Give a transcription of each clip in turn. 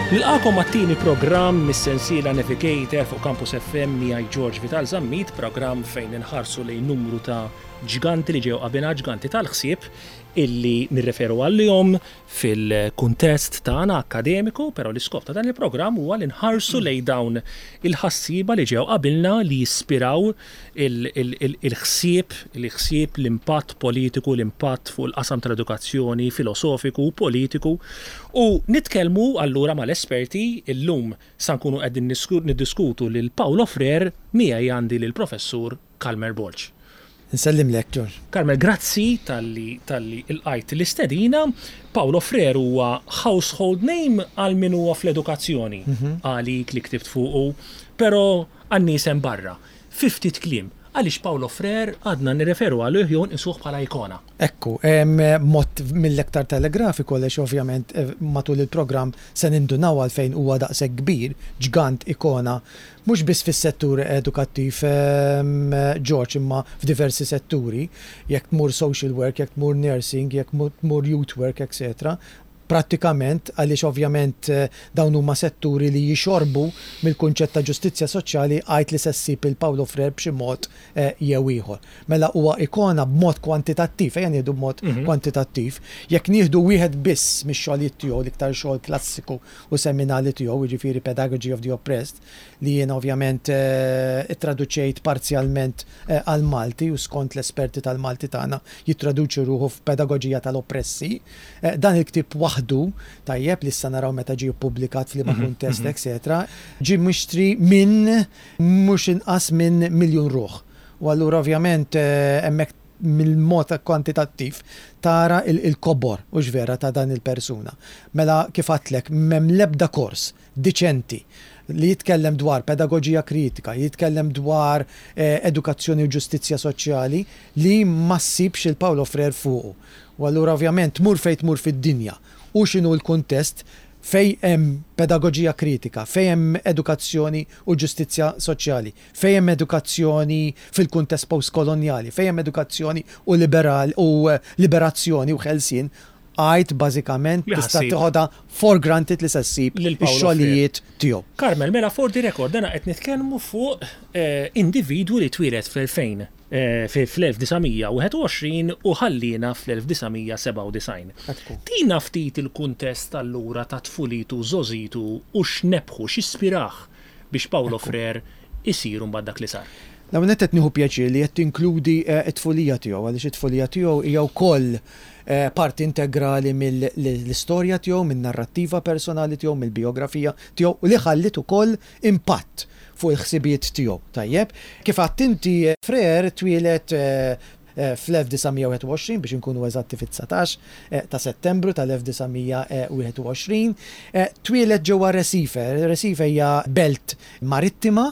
Nilqagħkom għat-tieni programm mis-sensiela Navigator fuq Campus FM miegħi George Vital Zammit, programm fejn inħarsu lejn numru ta' ġganti li ġew qabilna, ġganti tal-ħsieb illi nirreferu għalihom fil-kuntest tagħna akkademiku, però l-iskop ta' dan il-programm huwa li nħarsu lejn dawn il-ħassieba li ġew qabilna li jispiraw il-ħsieb, il-ħsieb, l-impatt politiku, l-impatt fuq il-qasam tal-edukazzjoni, filosofiku u politiku. U nitkellmu allura mal-esperti, illum sa nkunu qegħdin niddiskutu lil Paulo Freire, miegħi għandi lill-Professur Calmer Borg. Nsellimlek, George. Carmel, grazzi talli talli lqajt l-istedina. Paulo Freire huwa household name għal min huwa fl-edukazzjoni, għalik li ktibt fuqu, però għan-nies hemm barra. Fi ftit kliem, għaliex Paulo Freire għadna nirreferu għalih jew nqisuh bħala ikona? Ekku, mod mill-aktar telegrafiku għaliex ovvjament matul il-programm se nindunaw għalfejn huwa daqshekk kbir, ġgant, ikona Mhux biss fis-settur edukattiv George imma f'diversi setturi, jekk tmur social work, jekk tmur nursing, jekk tmur youth work etc. Prattikament għaliex ovvjament dawn huma setturi li jixorbu mill-kunċett ta' ġustizzja soċjali għid li se ssib il Paulo Freire b'xi mod jew ieħor. Mela huwa ikona b'mod kwantitattiv, ejja nieħdu b'mod kwantitattiv, jekk nieħdu wieħed biss mix-xogħlijiet tiegħu l-iktar xogħol klassiku u seminali tiegħu, jiġifieri Pedagogy of the Oppressed, li jiena ovvjament ittraduċejt parzjalment għall-Malti u skont l-esperti tal-Malti tagħna jittraduċi ruħu f'Pedagoġija tal-Oppressi. Dan il-ktieb waħdu, tajjeb, li issa naraw meta ġie ppubblikat f'liema kuntest, etc., ġie mixtri minn mhux inqas minn miljun ruħ. U allura ovvjament hemmhekk mill-mod kwantitattiv tara il-kobor, hux vera, ta' dan il-persuna. Mela kif għadtlek, m'hemm l-ebda kors diċenti li jitkellem dwar pedagoġija kritika, jitkellem dwar edukazzjoni u ġustizzja soċjali li ma ssibx il Paulo Freire fuqu. U allura ovvjament tmur fejn tmur fid-dinja u x'inhu l-kuntest fejn hemm pedagoġija kritika, fejn hemm edukazzjoni u ġustizzja soċjali, Fejn hemm edukazzjoni fil-kuntest postkolonjali, fejn hemm edukazzjoni u liberal u liberazzjoni u ħelsien, għid bażikament tista' tiħodha for granted li se ssib ix-xogħlijiet tiegħu. Carmel, mela for the record, dana qed nitkellmu fuq individwu li twieled fl-2000, fl-1921 u ħalliena fl-1997. Tina ftit il-kuntest allura ta' tfulitu, żgħożitu u x'nebħu, x'ispirah biex Paulo Freire isir imbagħad dak li sar. L-ewwel nett qed nieħu pjaċir li qed tinkludi t-tfulija tiegħu għaliex it-tfulija tiegħu hija wkoll parti integrali mill-istorja tiegħu, min-narrattiva personali tiegħu, mill-bijografija tiegħu u li ħalliet ukoll impatt fuq il-ħsibijiet tiegħu. Tajjeb, kif għedt inti Freire twieled Fl-1921, biex inkunu eżatti fit-19 ta' Settembru tal-1921, twieled ġewwa Recife. Recife hija belt marittima,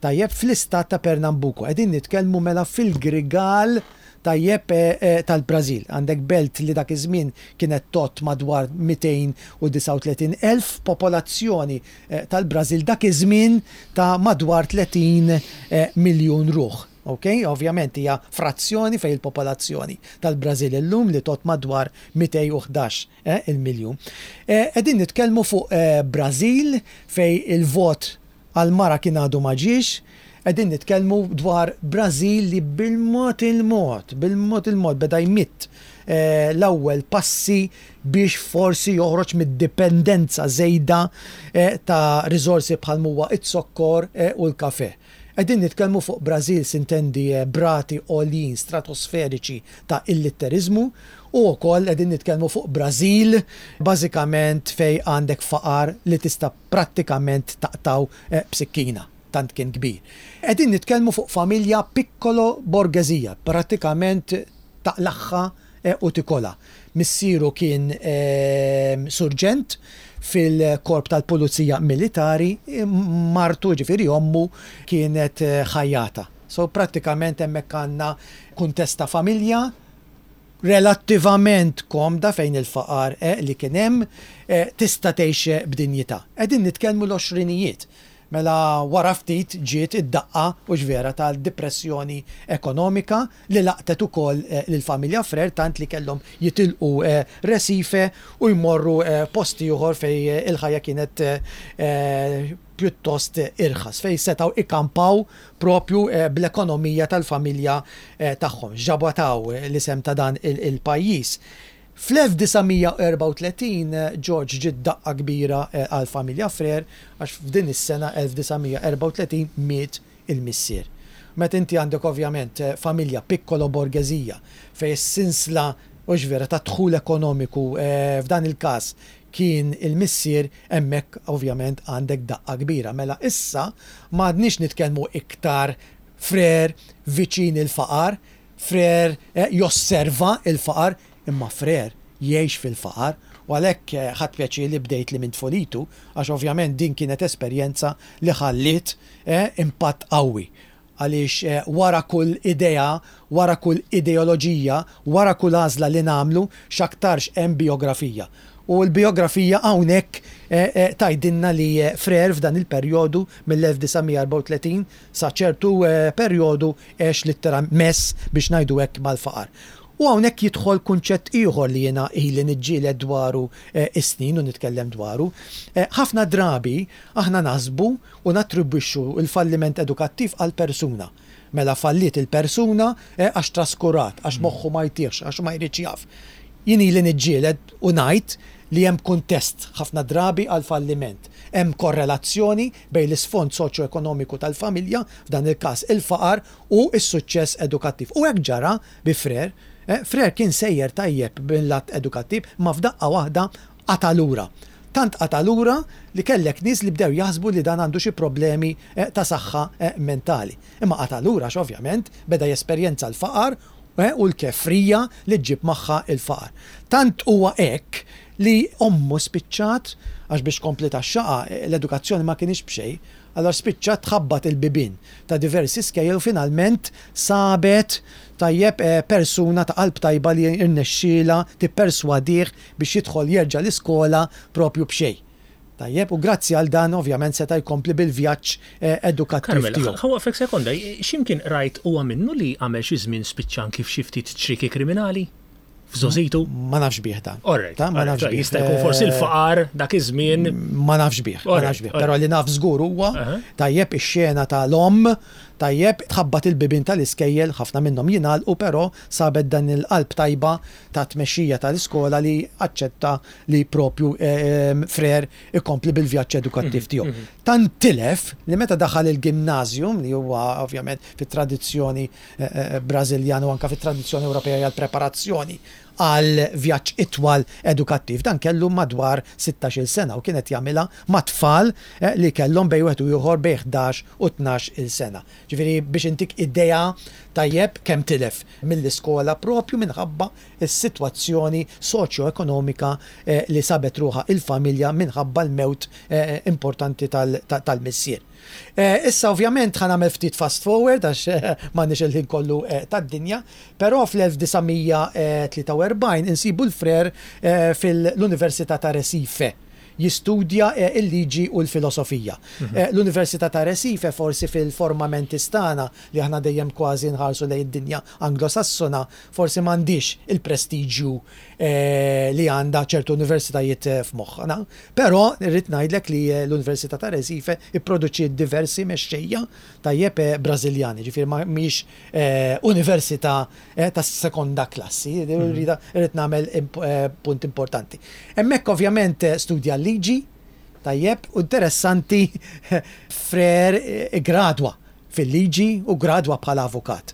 tajjeb, fl-istat ta' Pernambuco. Qegħdin nitkellmu mela fil-Grigal, tajjeb, tal-Brażil. Għandek belt li dak iż-żmien kienet tgħodd madwar 239,000 popolazzjoni tal-Brażil dak iż-żmien ta' madwar 30 miljun ruħ. Ok, ovvjament hija frazzjoni fejn il-popolazzjoni tal-Brażil illum li tgħodd madwar 211 il-miljun. Qegħdin nitkellmu fuq Brażil fejn il-vot għall-mara kien għadu ma ġiex, qegħdin nitkellmu dwar Brażil li bil-mod il-mod, bil-mod il-mod beda jmidd l-ewwel passi biex forsi joħroġ mid-dipendenza żejda ta' riżorsi bħal m'huwa z-zokkor u l-kafè. Qegħdin nitkellmu fuq Brażil sintendi b'rati għoljin stratosferiċi ta' illitteriżmu u wkoll qegħdin nitkellmu fuq Brażil bażikament fejn għandek faqar li tista' prattikament taqtgħu b'sikkina tant kien kbir. Qegħdin nitkellmu fuq familja piccolo borghesija, prattikament taqlagħha u tikolha. Missieru kien surġent fil-korp tal-pulizija militari, martu, jiġifieri ommu, kienet ħajjata. So prattikament hemmhekk għandna kuntest ta' familja relattivament komda fejn il-faqar li kien hemm tista' tgħix b'dinjità. Qegħdin nitkellmu l-għoxrinijiet. Mela wara ftit ġiet id-daqqa, hux vera, tal-dipressjoni ekonomika li laqtet ukoll lill-familja Frere tant li kellhom jitilqu Recife u jmorru post ieħor fejn il-ħajja kienet pjuttost irħas, fejn setgħu ikampaw propju bl-ekonomija tal-familja tagħhom. X'ġabataw l-isem ta' dan il-pajjiż. Fl-1934 George ġiet daqqa kbira għall-familja Frere għax f'din is-sena 1934 miet il-missier. Meta inti għandek ovvjament familja piccolo borghesija fejn is-sinsla hux vera tad-dħul ekonomiku f'dan il-każ kien il-missier hemmhekk ovvjament għandek daqqa kbira. Mela issa m'għadniex nitkellmu iktar Frere viċin il-faqar, Frere josserva l-faqar, imma Frere jgħix fil-faqar u għalhekk ħadt pjaċir li bdejt li minn tfulitu għax ovvjament din kienet esperjenza li ħalliet impatt qawwi għaliex wara kull idea, wara kull ideoloġija, wara kull għażla li nagħmlu x'aktarx hemm bijografija. U l-bijografija hawnhekk tgħidilna li Frere f'dan il-perjodu mill-1934 sa ċertu perjodu għex litteralment mess biex ngħidu hekk mal-faqar. U hawnhekk jidħol kunċett ieħor li jiena ili niġġieled dwaru s-snin u nitkellem dwaru. Ħafna drabi aħna naħsbu u nattribwixxu l-falliment edukattiv għall-persuna. Mela falliet il-persuna għax traskurat, għax moħħu ma jtihx, għax ma jridx jaf. Jien ili niġġieled u ngħid li hemm kuntest ħafna drabi għall-falliment. Hemm korrelazzjoni bejn l-isfond soċjoekonomiku tal-familja, f'dan il-każ il-faqar, u s-suċċess edukattiv. U hekk ġara bi Frere. Frere kien sejjer tajjeb mil-lat edukattiv, imma f'daqqa waħda qata' lura. Tant qata' lura li kellek nies li bdew jaħsbu li dan għandu xi problemi ta' saħħa mentali. Imma qata' lura għax ovvjament beda jesperjenza l-faqar u l-kefrija li ġġib magħha l-faqar. Tant huwa hekk li ommu spiċċat, għax biex tkompli tgħaxxaqha l-edukazzjoni ma kinitx b'xejn, allura spiċċat tħabbat il-bibien ta' diversi skejjel u finalment sabet tajjeb persuna ta' qalb tajba li rnexxielha tipperswadih biex jidħol jerġa' l-iskola propju b'xejn. Tajjeb, u grazzi għal dan ovvjament seta' jkompli bil-vjaġġ edukattiv Carmel, tiegħu. ħa waqqfek sekonda, x'imkien qrajt huwa minnu li għamel xi żmien spiċċa anki f'xi ftit ċrieki kriminali? F'żgħożitu? Ma nafx bih dan. All right, Ta, ma all right, nafx bih. Jista' jkun forsi l-faqar dak iż-żmien. Ma nafx bih, ma All right, nafx bih. all Però right. li naf żgur huwa tajjeb ix-xena tal-omm, tajjeb tħabbat il-bibien tal-iskejjel, ħafna minnhom jingħalqu però sabet dan il-qalb tajba ta' tmexxija tal-iskola li aċċetta li propju Frere ikompli bil-vjaġġ edukattiv tiegħu. Tant tilef li meta daħal il-gimnasium, li huwa ovvjament fit-tradizzjoni Brażiljana u anke fit-tradizzjoni Ewropea hija l-preparazzjoni għal vjaġġ itwal edukattiv. Dan kellu madwar sittax-il sena u kien qed jagħmilha ma' tfal li kellhom bejn wieħed u ieħor bejn 11 u 12-il sena. Ġifieri biex intik idea tajjeb kemm tilef mill-iskola propju minħabba s-sitwazzjoni soċjoekonomika li sabet ruħha il-familja minħabba l-mewt importanti tal-missier. Issa ovvjament ħa nagħmel ftit fast forward għax m'għandniex il-ħin kollu tad-dinja, però fl-1943 insibu l-Frere fil-Università ta' Recife jistudja l-liġi u l-filosofija. L-Università ta' Recife forsi fil-formamentis tagħna li aħna dejjem kważi nħarsu lejn id-dinja Anglosassona forsi m'għandhiex il-prestiġju li għandha ċertu universitajiet f'moħħna. Però rrid ngħidlek li l-Università ta' Recife ipproduċiet diversi mexxejja tajjeb Brażiljani, ġifieri ma mhix università ta' sekonda klassi, rrid nagħmel punt importanti. Hemmhekk ovvjament studja l-liġi, tajjeb, u interessanti Frere iggradwa fil-liġi u ggradwa bħala avukat.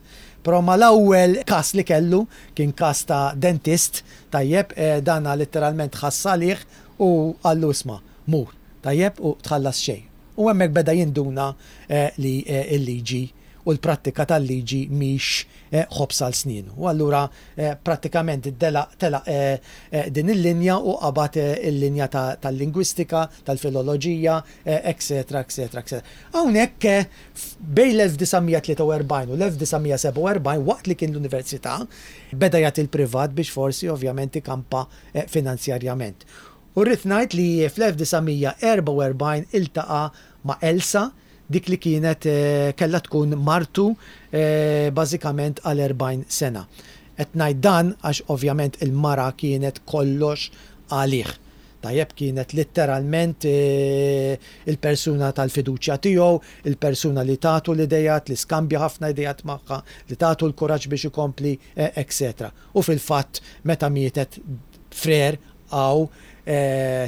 Però mal-ewwel każ li kellu, kien każ ta' dentist, tajjeb, dana litteralment ħass għalih u qallu isma', mur, tajjeb, u tħallas xejn. U hemmhekk beda jinduna li l-liġi u l-prattika tal-liġi mhix ħobż għal snienu. U allura prattikament telaq din il-linja u qabad il-linja tal-lingwistika, tal-filoloġija, etcetera, etcetera, etcetera. Hawnhekk bejn l-1943 u l-1947 waqt li kien l-università beda jagħti l-privat biex forsi ovvjament ikampa finanzjarjament. U rrid ngħid li fl-1944 iltaqa' ma' Elsa, dik li kienet kellha tkun martu bażikament għal 40 sena. Qed ngħid dan għax ovvjament il-mara kienet kollox għalih. Tajjeb, kienet litteralment il-persuna tal-fiduċja tiegħu, il-persuna li tatu l-ideat, li skambja ħafna ideat magħha, li tatu l-kuraġġ biex ikompli, etc. U fil-fatt meta mietet Frere hawn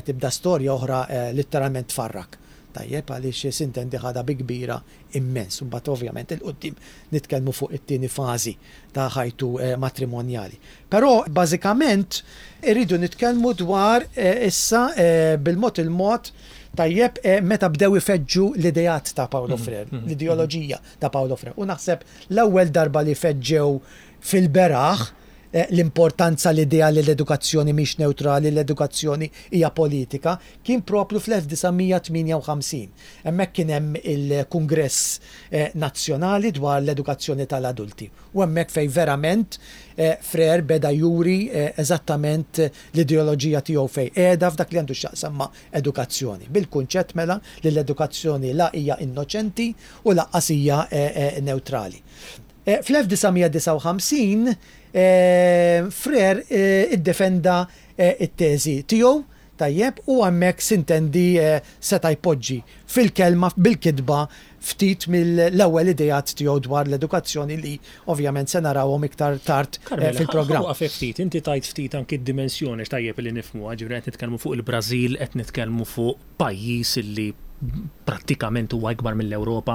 tibda storja oħra litteralment tfarrak. Tajjeb, għaliex sintendi ħadha bi kbira immens. Imbagħad ovvjament 'il quddiem nitkellmu fuq it-tieni fażi ta' ħajtu matrimonjali. Però bażikament irridu nitkellmu dwar issa bil-mod il-mod tajjeb meta bdew ifeġġu l-ideat ta' Paulo Freire, l-ideoloġija ta' Paulo Freire. U naħseb l-ewwel darba li feġġew fil-beraħ l-importanza l-idea li l-edukazzjoni mhix newtrali, l-edukazzjoni hija politika, kien proprju fl-1958. Hemmhekk kien hemm il-Kungress Nazzjonali dwar l-edukazzjoni tal-adulti. U hemmhekk fejn verament Freire beda juri eżattament l-ideoloġija tiegħu fejn qiegħda f'dak li għandu x'jaqsam ma' edukazzjoni. Bil-kunċett mela li l-edukazzjoni la hija innoċenti u lanqas hija newtrali. Fl-1959 Freire iddefenda t-teżi tiegħu, tajjeb, u hemmhekk sintendi seta' jpoġġi fil-kelma, bil-kitba, ftit mill-ewwel ideat tiegħu dwar l-edukazzjoni li ovvjament se narawhom iktar tard fil-programm. Carmela, ħa waqaf ftit, inti tajt ftit anki d-dimensjoni x'tajjeb li nifhmuha, ġifieri qed nitkellmu fuq il-Brażil, qed nitkellmu fuq pajjiż li prattikament huwa ikbar mill-Ewropa,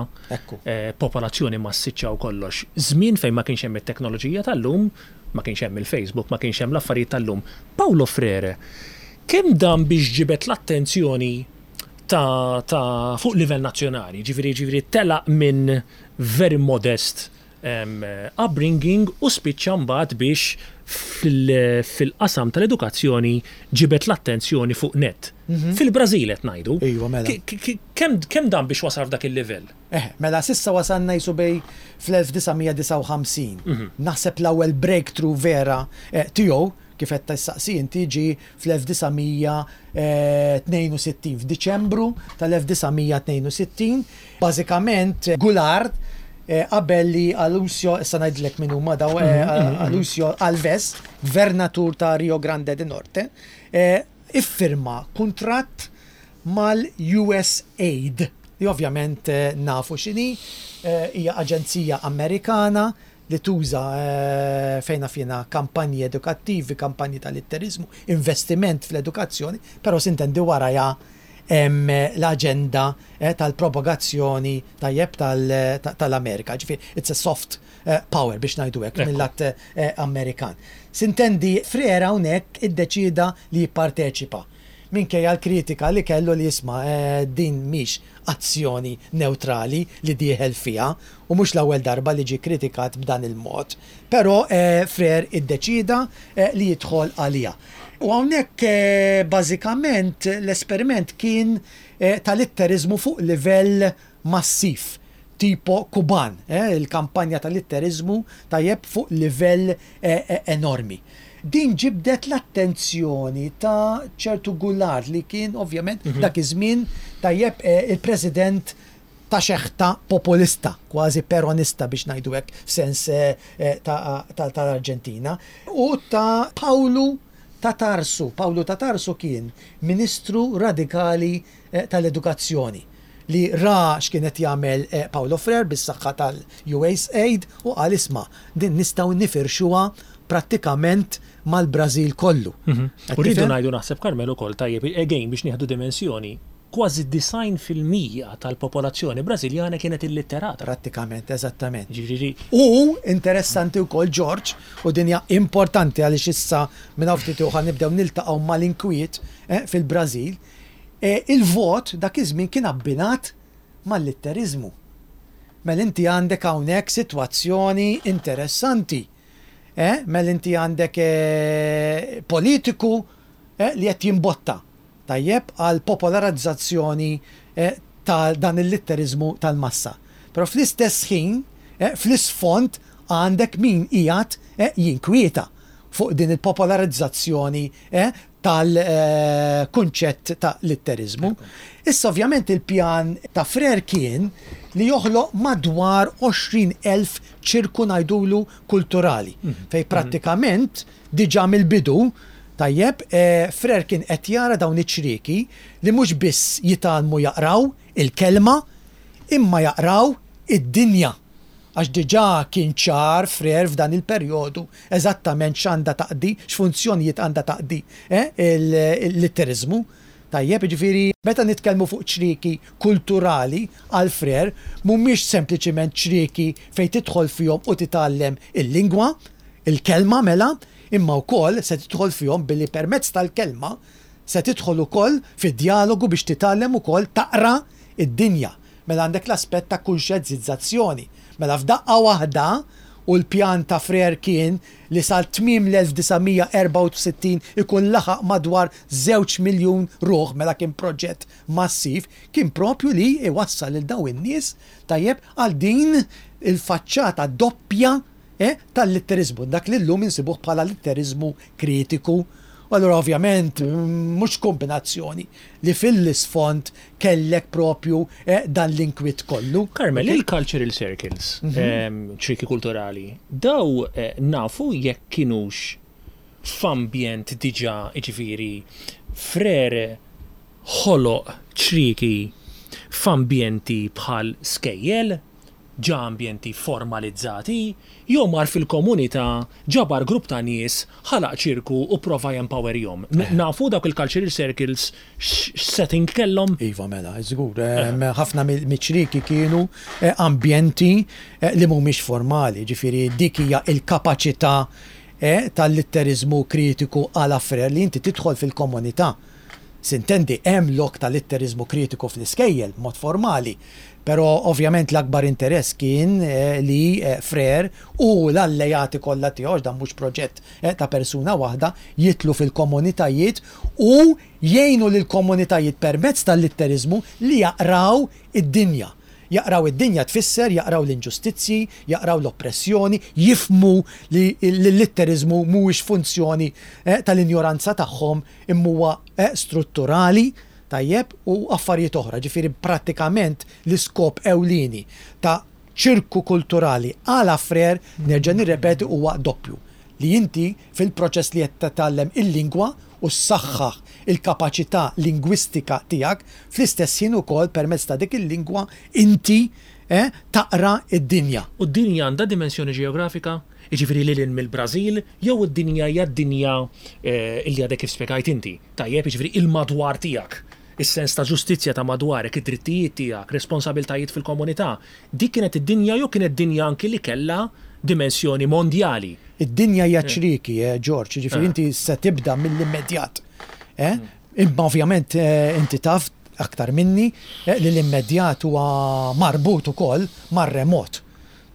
popolazzjoni massiċċa u kollox. Żmien fejn ma kienx hemm it-teknoloġija tal-lum, ma kienx hemm il-Facebook, ma kienx hemm l-affarijiet tal-lum. Paulo Freire, kemm dam biex ġibed l-attenzjoni ta' ta' fuq livell nazzjonali, ġifieri ġifieri telaq minn very modest upbringing u spiċċa mbagħad biex fil-qasam tal-edukazzjoni ġibed l-attenzjoni fuq nett. Fil-Brażil qed ngħidu. Iva, mela. Kemm dam biex wasal f'dak il-livell? Eh, mela s'issa wasalna qisu bejn fl-1959. Naħseb l-ewwel breakthrough vera tiegħu, kif qed tistaqsi inti, ġie fl-1962, f'Diċembru tal-1962. Bażikament, Goulart qabel li Alusio, issa ngħidlek min huma daw, Alusio Alves, gvernatur ta' Rio Grande do Norte, iffirma kuntratt mal-USAID, li ovvjament nafu x'inhi, hija aġenzija Amerikana li tuża fejn naf jiena kampanji edukattivi, kampanji ta' litteriżmu, investiment fl-edukazzjoni, però sintendi warajha hemm l-aġenda tal-propagazzjoni tajjeb tal-Amerika. Ġifieri it's a soft power biex ngħidu hekk mill-lat Amerikan. Sintendi Freire hawnhekk iddeċieda li jipparteċipa. Minkejja l-kritika li kellu li isma' din mhix azzjoni newtrali li dieħel fiha u mhux l-ewwel darba li ġie kkritikat b'dan il-mod. Però Freire iddeċieda li jidħol għaliha. U hawnhekk bażikament l-esperiment kien ta' litteriżmu fuq livell massiv, tipo Kuban, il-kampanja ta' litteriżmu tajjeb fuq livell enormi. Din ġibdet l-attenzjoni ta' ċertu Goulart li kien ovvjament dak iż-żmien tajjeb il-President ta' xeħta populista, kważi peronista biex ngħidu hekk f'sens tal-Arġentina, u ta' Pawlu ta' Tarsu. Pawlu ta' Tarsu kien Ministru radikali tal-Edukazzjoni li ra x'kien qed jagħmel Paulo Freire bis-saħħa tal-USAID u qal isma' din nistgħu nifirxuha prattikament mal-Brażil kollu. U rridu ngħidu naħseb Carmel ukoll tajjeb again biex nieħdu dimensjoni, kważi 90% tal-popolazzjoni Brażiljana kienet illitterata. Prattikament, eżattament. Ġifieri. U interessanti wkoll George, u din hija importanti għaliex issa minn hawn ftit ieħor nibdew niltaqgħu mal-inkwiet fil-Brażil, Il-vot dak iż-żmien kien abbinat mal-litteriżmu. Mela inti għandek hawnhekk sitwazzjoni interessanti. Mela inti għandek politiku li qed jimbotta, tajjeb, għall-popolarizzazzjoni ta' dan il-litteriżmu tal-massa. Però fl-istess ħin, fl-isfond għandek min qiegħed jinkwieta fuq din il-popolarizzazzjoni. tal-kunċett ta' litteriżmu. Issa ovvjament il-pjan ta' Frere kien li joħloq madwar 20,000 ċirku ngħidulu kulturali, fejn prattikament diġà mill-bidu, tajjeb, Frere kien qed jara dawn iċ-ċrieki li mhux biss jitgħallmu jaqraw il-kelma imma jaqraw id-dinja. Għax diġà kien ċar Frere f'dan il-perjodu eżattament x'għandha taqdi, x'funzjonijiet għandha taqdi l-litteriżmu. Tajjeb, jiġifieri meta nitkellmu fuq ċrieki kulturali għal Frere mhumiex sempliċiment ċrieki fejn tidħol fihom u titgħallem il-lingwa, il-kelma mela, imma wkoll se tidħol fihom billi permezz tal-kelma se tidħol ukoll fi djalogu biex titgħallem ukoll taqra d-dinja. Mela għandek l-aspett ta' kunxjenzizzazzjoni. Mela f'daqqa waħda, u l-pjan ta' Frere kien li sal-tmiem l-1964 ikun laħaq madwar żewġ miljun ruħ, mela kien proġett massiv, kien propju li jwassal lil dawn in-nies, tajjeb, għal din il-faċċata doppja tal-litteriżmu, dak li llum insibuh bħala litteriżmu kritiku. U allura ovvjament mhux kombinazzjoni li fil-isfond kellek propju dan l-inkwiet kollu. Carmel, il-cultural circles, ċrieki kulturali, daw nafu jekk kinux f'ambjent diġà, jiġifieri Frere ħoloq ċrieki f'ambjenti bħal skejjel, ġa ambjenti formalizzati, jew mar fil-komunità, ġabar grupp ta' nies, ħalaq ċirku u pprova jempowerjhom. Nafu dawk il-cultural circles x'setting kellhom? Iva mela, żgur. Ħafna miċ-ċrieki kienu ambjenti li mhumiex formali, jiġifieri dik hija l-kapaċità tal-litteriżmu kritiku à la Frere li inti tidħol fil-komunità. Sintendi, hemm lok ta' litteriżmu kritiku fl-iskejjel, b'mod formali, però ovvjament l-akbar interess kien li Frere u l-allejati kollha tiegħu, għax dan mhux proġett ta' persuna waħda, jidħlu fil-komunitajiet u jgħinu lill-komunitajiet permezz tal-litteriżmu li jaqraw id-dinja. Jaqraw id-dinja tfisser jaqraw l-inġustizzji, jaqraw l-oppressjoni, jifhmu li l-litteriżmu mhuwiex funzjoni tal-injoranza tagħhom imma huwa strutturali, tajjeb, u affarijiet oħra. Ġifieri prattikament l-iskop ewlieni ta' ċirku kulturali à la Frere, nerġa' nirrepeti, huwa doppju, li inti fil-proċess li qed titgħallem il-lingwa u ssaħħaħ il-kapaċità lingwistika tiegħek, fl-istess ħin ukoll permezz ta' dik il-lingwa inti taqra d-dinja. U d-dinja għandha dimensjoni ġeografika? Jiġifieri lil hinn mill-Brażil, jew id-dinja hija d-dinja li għadek kif spjegajt inti? Tajjeb, jiġifieri il-madwar tiegħek, is-sens ta' ġustizzja ta' madwarek, id-drittijiet tiegħek, responsabiltajiet fil-komunità. Dik kienet id-dinja jew kienet dinja anki li kellha dimensjoni mondjali? Id-dinja hija ċrieki, George, jiġifieri inti se tibda mill-immedjat. Imma ovvjament inti taf aktar minni li l-immedjat huwa marbut ukoll mar-remot.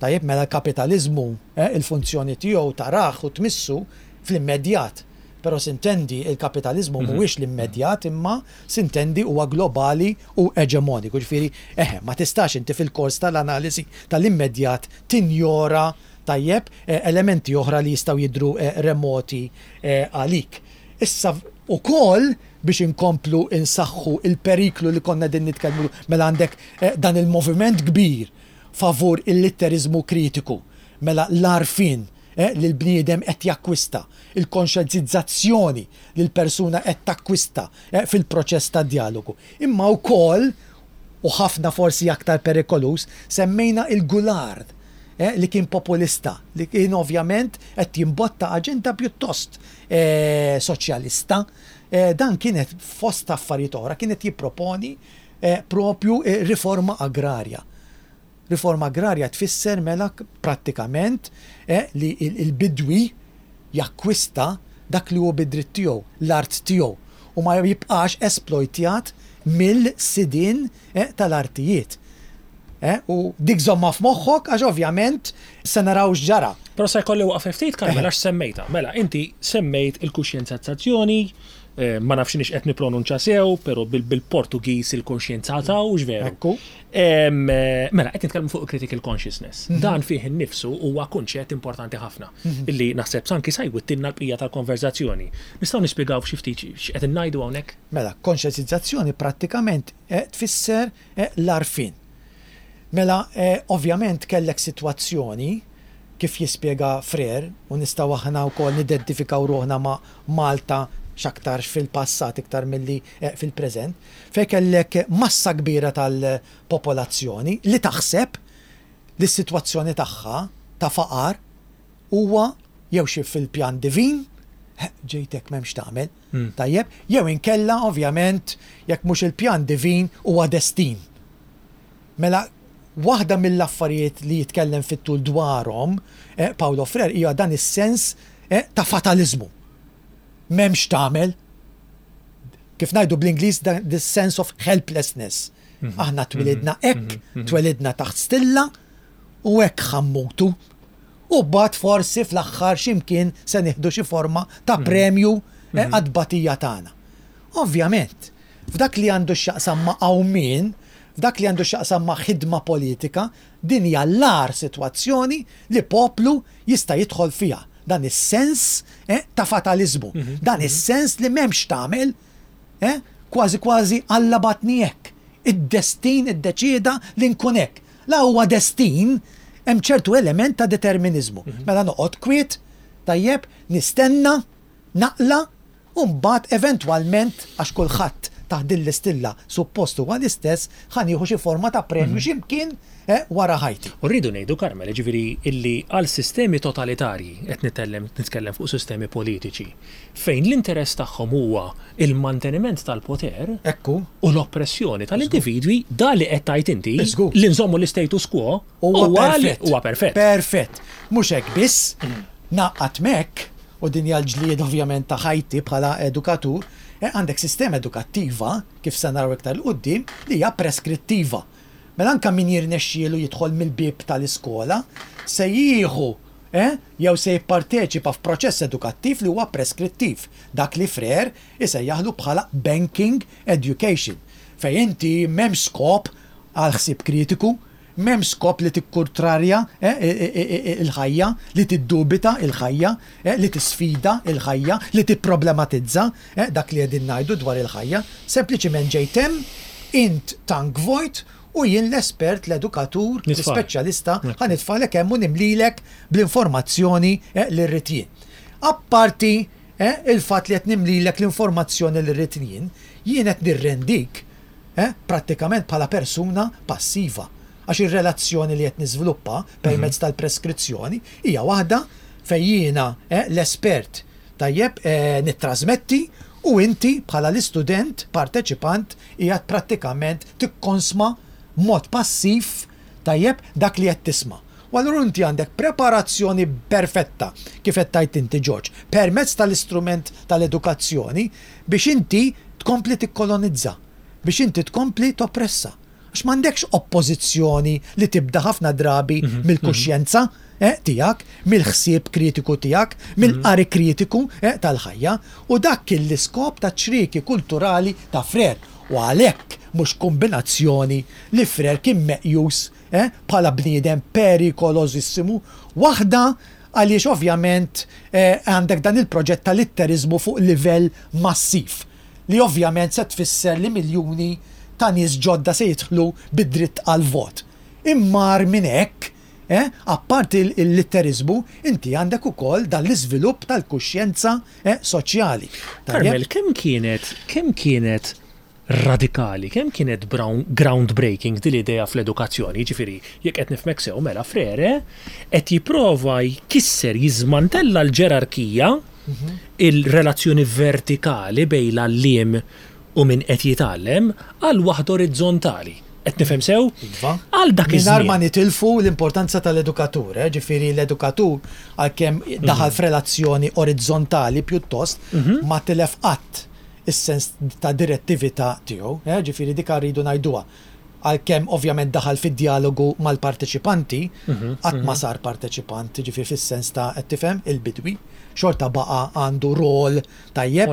Tajjeb, mela l-kapitaliżmu, il-funzjoni tiegħu tarah u tmissu fl-immedjat. Però sintendi, il-kapitaliżmu mhuwiex l-immedjat imma sintendi huwa globali u eġemoniku. Jiġifieri, eħe, ma tistax inti fil-kors tal-analiżi tal-immedjat tinjora, tajjeb, elementi oħra li jistgħu jidhru remoti għalik. Issa ukoll biex inkomplu nsaħħu l-periklu li konna qegħdin nitkellmu, mela għandek dan il-moviment kbir favur il-litteriżmu kritiku, mela l-għarfien li l-bniedem qed jakkwista, il-konxjenzizzazzjoni li l-persuna qed takkwista fil-proċess tad-djalogu. Imma wkoll, u ħafna forsi aktar perikoluż, semmejna il-Goulard li kien populista, li kien ovvjament qed jimbotta aġenda pjuttost soċjalista. Dan kien qed, fost affarijiet oħra, kien qed jipproponi propju riforma agrarja. Riforma agrarja tfisser mela prattikament li l-bidwi jakkwista dak li hu bi dritt tiegħu, l-art tiegħu, u ma jibqax esplojtjat mill-sidien tal-artijiet. U dik żommha f'moħħok għax ovvjament se naraw x'ġara. Però se jkolli waqfa ftit, Carmel, għax semmejtha. Mela, inti semmejt il-kuxjenzazzazzjoni, Ma nafx iniex qed nippronunċa sew, però bil-Portugiż il-konxjenza ta' hux veru. Ekku. Mela, qed nitkellmu fuq critical consciousness. Dan fih innifsu huwa kunċett importanti ħafna illi naħseb anki sa jwittilna l-bqija tal-konverżazzjoni. Nistgħu nispjegaw f'xi ftit x'qed ngħidu hawnhekk? Mela, konxjenzizzazzjoni prattikament tfisser l-għarfien. Mela, ovvjament kellek sitwazzjoni, kif jispjega Freire, u nistgħu aħna wkoll nidentifikaw ruħna ma' Malta x'aktarx fil-passat iktar milli fil-preżent, fejn kellek massa kbira tal-popolazzjoni li taħseb li s-sitwazzjoni tagħha ta' faqar huwa jew xi fil-pjan divin, ġejt hekk m'hemmx x'tagħmel, tajjeb, jew inkella ovvjament jekk mhux il-pjan divin huwa destin. Mela waħda mill-affarijiet li jitkellem fit-tul dwarhom Paulo Freire hija dan is-sens ta' fataliżmu. M'hemm x'tagħmel. Kif ngħidu bl-Ingliż this sense of helplessness. Aħna twilidna hekk, twelidna taħt stilla u hekk ħa mmutu. U mbagħad forsi fl-aħħar xi mkien se nieħdu xi forma ta' premju għat-tbatija tagħna. Ovvjament, f'dak li għandu x'jaqsam ma' qawmien, f'dak li għandu x'jaqsam ma' ħidma politika, din hija l-agħar sitwazzjoni li poplu jista' jidħol fiha. Dan is-sens ta' fataliżmu, dan is-sens li m'hemmx x'tagħmel, kważi kważi Alla bagħatni hekk, id-destin iddeċieda li nkun hekk. La huwa destin, hemm ċertu element ta' determiniżmu. Mela noqgħod kwiet, tajjeb, nistenna, naqla' U mbagħad eventwalment, għax kulħadd taħt din l-istilla suppost huwa l-istess, ħa nieħu xi forma ta' premju xi mkien wara ħajti. U rridu ngħidu, Carmel, jiġifieri illi għal sistemi totalitarji, qed nitellem nitkellem fuq sistemi politiċi, fejn l-interess tagħhom huwa l-manteniment tal-poter Ekku. u l-oppressjoni tal-individwi, dan li qed tgħid inti, Żgur. li nżommu l-istatus quo, Huwa perfett. Huwa perfett. Perfett. Mhux hekk biss, ngħaqqad m'hekk, u din hija l-ġlieda ovvjament ta' ħajti bħala edukatur, għandek sistema edukattiva, kif se naraw iktar 'il quddiem, li hija preskrittiva. Mela anke min jirnexxielu jidħol mill-bieb tal-iskola se jieħu jew se jipparteċipa f'proċess edukattiv li huwa preskrittiv, dak li Freire isejjaħlu bħala banking education, fejn inti m'hemmx skop għal ħsieb kritiku, M'hemmx skop li tikkurtrarja l-ħajja, li tiddubita l-ħajja, li tisfida l-ħajja, li tipproblematizza dak li qegħdin ngħidu dwar il-ħajja. Sempliċiment ġejt hemm, int tank vojt u jien l-espert, l-edukatur, l-ispeċjalista ħa nitfagħlek hemm u nimlilek bl-informazzjoni li rrid jien. Apparti il-fatt li qed nimlilek l-informazzjoni li rrid jien, jien qed nirrendik eh, prattikament bħala persuna passiva. Għax ir-relazzjoni li qed niżviluppa permezz tal-preskrizzjoni hija waħda fejn jiena, eh, l-espert, tajjeb, eh, nittrażmetti u inti bħala l-istudent parteċipant qiegħed prattikament tikkonsma b'mod passiv, tajjeb, dak li qed tisma'. U allura inti għandek preparazzjoni perfetta, kif qed tgħid inti George, permezz tal-istrument tal-edukazzjoni biex inti tkompli tikkolonizza, biex inti tkompli toppressa. Għax m'għandekx oppożizzjoni li tibda ħafna drabi mill-kuxjenza tiegħek, mill-ħsieb kritiku tiegħek, mill-qari kritiku tal-ħajja. U dak kien l-iskop taċ-ċrieki kulturali ta' Frere. U għalhekk mhux kumbinazzjoni li Frere kien meqjus bħala bniedem perikolożissimu, waħda għaliex ovvjament għandek dan il-proġett ta' litteriżmu fuq livell massiv, li ovvjament se tfisser li miljuni ta' nies ġodda se jidħlu bid-dritt għall-vot. Imma agħar minn hekk, apparti l-litteriżmu, inti għandek ukoll dan l-iżvilupp tal-kuxjenza soċjali. Carmel, kemm kienet, kemm kienet radikali, kemm kienet groundbreaking din l-idea fl-edukazzjoni, jiġifieri, jekk qed nifhmek sew, mela Frere qed jipprova jkisser, jiżmantella l-ġerarkija, il-relazzjoni vertikali bejn l-għalliem u min qed jitgħallem, għal waħda orizzontali. Qed nifhem sew? Iva. Għal dak iż-żmien. Mingħajr ma nitilfu l-importanza tal-edukatur, eh, ġifieri l-edukatur għalkemm daħal f'relazzjoni orizzontali pjuttost, ma tilef qatt is-sens ta' direttività tiegħu, eh, ġifieri dik rridu ngħiduha. Għalkemm ovvjament daħal fi djalogu mal-parteċipanti, qatt ma sar parteċipant, jiġifieri fis-sens ta' qed tifhem, il-bidwi, xorta baqa' għandu rol tajjeb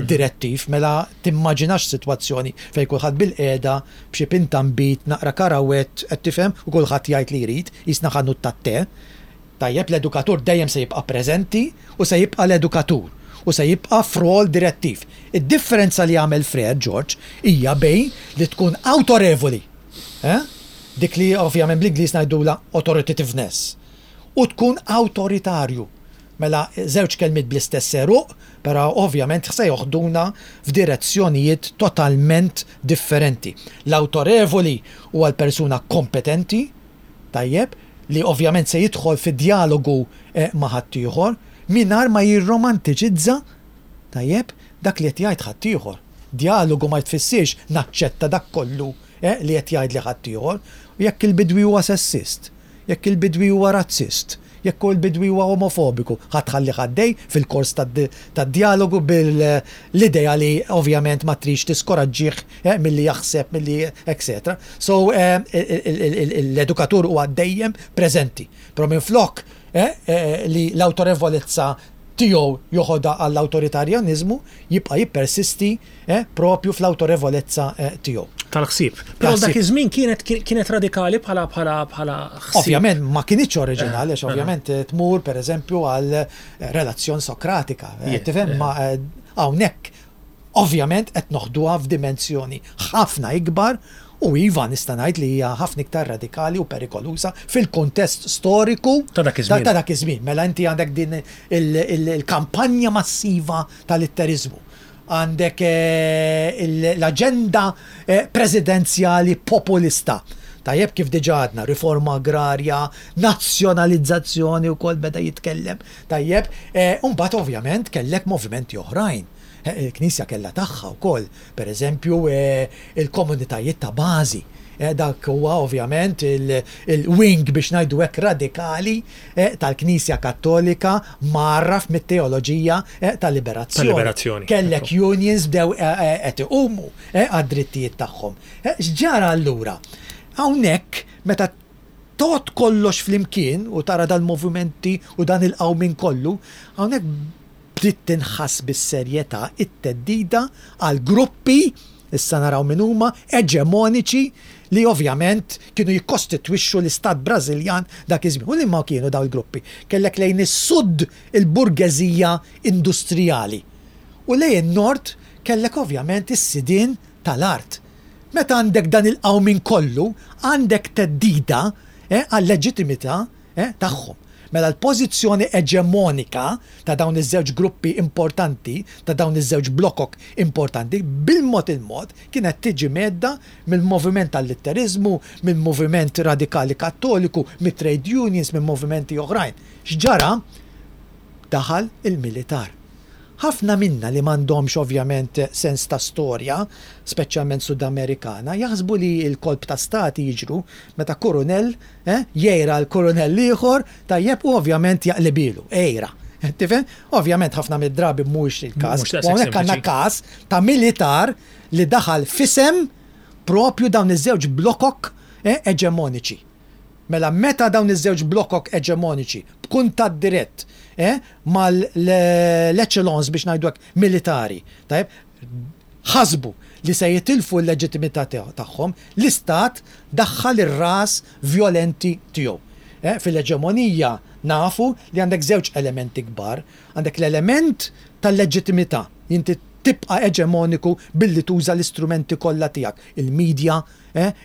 direttiv. Mela timmaġinax sitwazzjoni fejn kulħadd bilqiegħda b'xi pinta nbid, naqra karawett, qed tifhem, u kulħadd jgħid li jrid, qisna ħanut tat-te. Tajjeb, l-edukatur dejjem se jibqa' preżenti u se jibqa' l-edukatur u se jibqa' f'rol direttiv. Id-differenza li għamel Frere George hija bejn li tkun awtorevoli, eh, dik li ovvjament bl-Ingliż ngħidulha authoritativeness, u tkun awtoritarju. Mela żewġ kelmiet bl-istess għeruq, però ovvjament se joħduna f'direzzjonijiet totalment differenti. L-awtorevoli huwa l-persuna kompetenti, tajjeb, li ovvjament se jidħol fi djalogu ma' ħaddieħor, mingħajr ma jirromantiċizza, tajjeb, dak li qed jgħid ħaddieħor. Djalogu ma jtfissirx naċċetta dak kollu li qed jgħidli ħaddieħor. U jekk il-bidwi huwa sessist, jekk il-bidwi huwa razzist, jekk il-bidwi huwa omofobiku, ħa tħallih għaddej fil-kors tad-djalogu bil-idea li ovvjament ma tridx tiskoraġġih milli jaħseb, milli etc. So l-edukatur huwa dejjem preżenti. Però minflok li l-awtorevolezza tiegħu joħodha għall-awtoritarjaniżmu, jibqa' jippersisti propju fl-awtorevolezza tiegħu. Tal-ħsieb. Però dak iż-żmien kienet kienet radikali bħala bħala bħala ħsieb. Ovvjament ma kinitx oriġinali għax ovvjament tmur pereżempju għal relazzjon Sokratika. Tifhem ma hawnhekk ovvjament qed noħduha f'dimensjoni ħafna ikbar u iva nista' ngħid li hija ħafna iktar radikali u perikoluża fil-kuntest storiku ta' dak iż-żmien. Ta' dak iż-żmien. Mela inti għandek din il-kampanja massiva tal-litteriżmu. Għandek l-aġenda presidenzjali populista. Tajjeb kif diġà għadna, riforma agrarja, nazzjonalizzazzjoni wkoll beda jitkellem. Tajjeb, u mbagħad ovvjament kellek movimenti oħrajn. Il-Knisja kellha tagħha wkoll, pereżempju il-komunitajiet ta' bażi. Dak huwa ovvjament il-wing biex ngħidu hekk radikali tal-Knisja Kattolika mgħarraf mit-teoloġija tal-liberazzjoni. Kellek unions bdew qed iqumu għad-drittijiet tagħhom. X'ġara allura? Hawnhekk meta tgħodd kollox flimkien u tara dal-movimenti u dan il-qawmien kollu, hawnhekk bdiet tinħass bis-serjetà t-theddida għal gruppi, issa naraw min huma, eġemoniċi li ovvjament kienu jikkostitwixxu l-istat Brażiljan dak iż-żmien. U liema kienu dawn il-gruppi? Kellek lejn is-sud il-burgeżija industrijali u lejn in-nord kellek ovvjament is-sidien tal-art. Meta għandek dan il-qawmien kollu, għandek theddida għal-leġittimità tagħhom. Mela l-pożizzjoni eġemonika ta' dawn iż-żewġ gruppi importanti, ta' dawn iż-żewġ blokok importanti, bil-mod il-mod kienet tiġi mhedda mill-moviment tal-litteriżmu, mill-moviment radikali Kattoliku, mit-trade unions, minn movimenti oħrajn. X'ġara? Daħal il-militar. Ħafna minna li m'għandhomx ovvjament sens ta' storja, speċjalment Sudamerikana, jaħsbu li l-kolp ta' stati jiġru meta kurunell jgħira l-kurunell ieħor, tajjeb, u ovvjament jaqlibilu, għira. Tifhem? Ovvjament ħafna mid-drabi mhuwiex il-każ. U hawnhekk għandna każ ta' militar li daħal f'isem propju dawn iż-żewġ blokok eġemoniċi. Mela meta dawn iż-żewġ blokok eġemoniċi b'kuntatt dirett mal-echelons biex ngħidu hekk militari, tajjeb, ħasbu li se jitilfu l-leġittimità tagħhom, l-istat daħħal ir-ras vjolenti tiegħu. Fil-eġemonija nafu li għandek żewġ elementi kbar. Għandek l-element tal-leġittimità, inti tibqa' eġemoniku billi tuża l-istrumenti kollha tiegħek, il-media,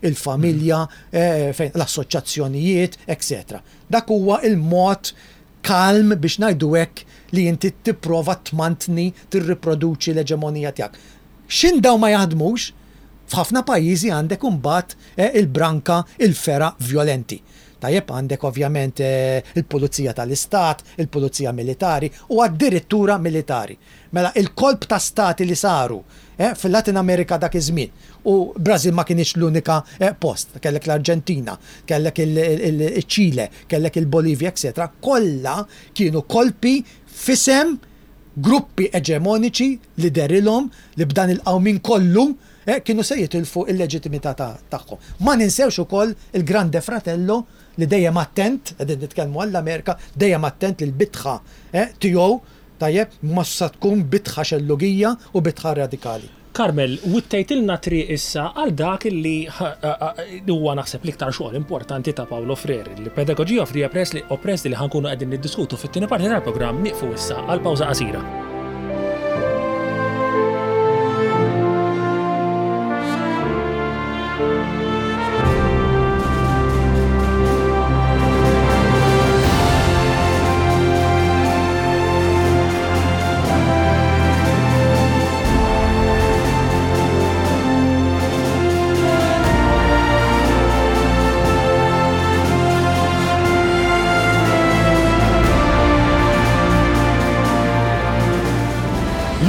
il-familja, l-assoċjazzjonijiet, etc. Dak huwa l-mod kalm biex ngħidu hekk li inti tipprova tmantni, tirriproduċi l-eġemonija tiegħek. X'in dawn ma jaħdmux, f'ħafna pajjiżi għandek imbagħad il-branka, il-fergħa vjolenti. Tajjeb għandek ovvjament il-pulizija tal-istat, il-pulizija militari u addirittura militari. Mela il-kolp ta' stati li saru fil-Latin Amerika dak iż-żmien, u Brażil ma kinitx l-unika post, kellek l-Arġentina, kellek iċ-Ċile, kellek il-Bolivja, etcetera, kollha kienu kolpi f'isem gruppi eġemoniċi li dehrilhom li b'dan il-qawmien kollu kienu se jitilfu l-leġittimità tagħhom. Ma ninsewx ukoll il-Grande Fratello li dejjem attent, qegħdin nitkellmu għall-Amerika, dejjem attent li l-bitħa tiegħu, tajjeb, ma sa tkun bitħa xellugija u bitħa radikali. Carmel, wittejtilna triq issa għal dak li huwa naħseb l-iktar xogħol importanti ta' Paulo Freire, il-Pedagogy of the Oppressed li ħa nkunu qegħdin niddiskutu fit-tieni parti tal-programm. Nieqfu issa għal pawża qasira.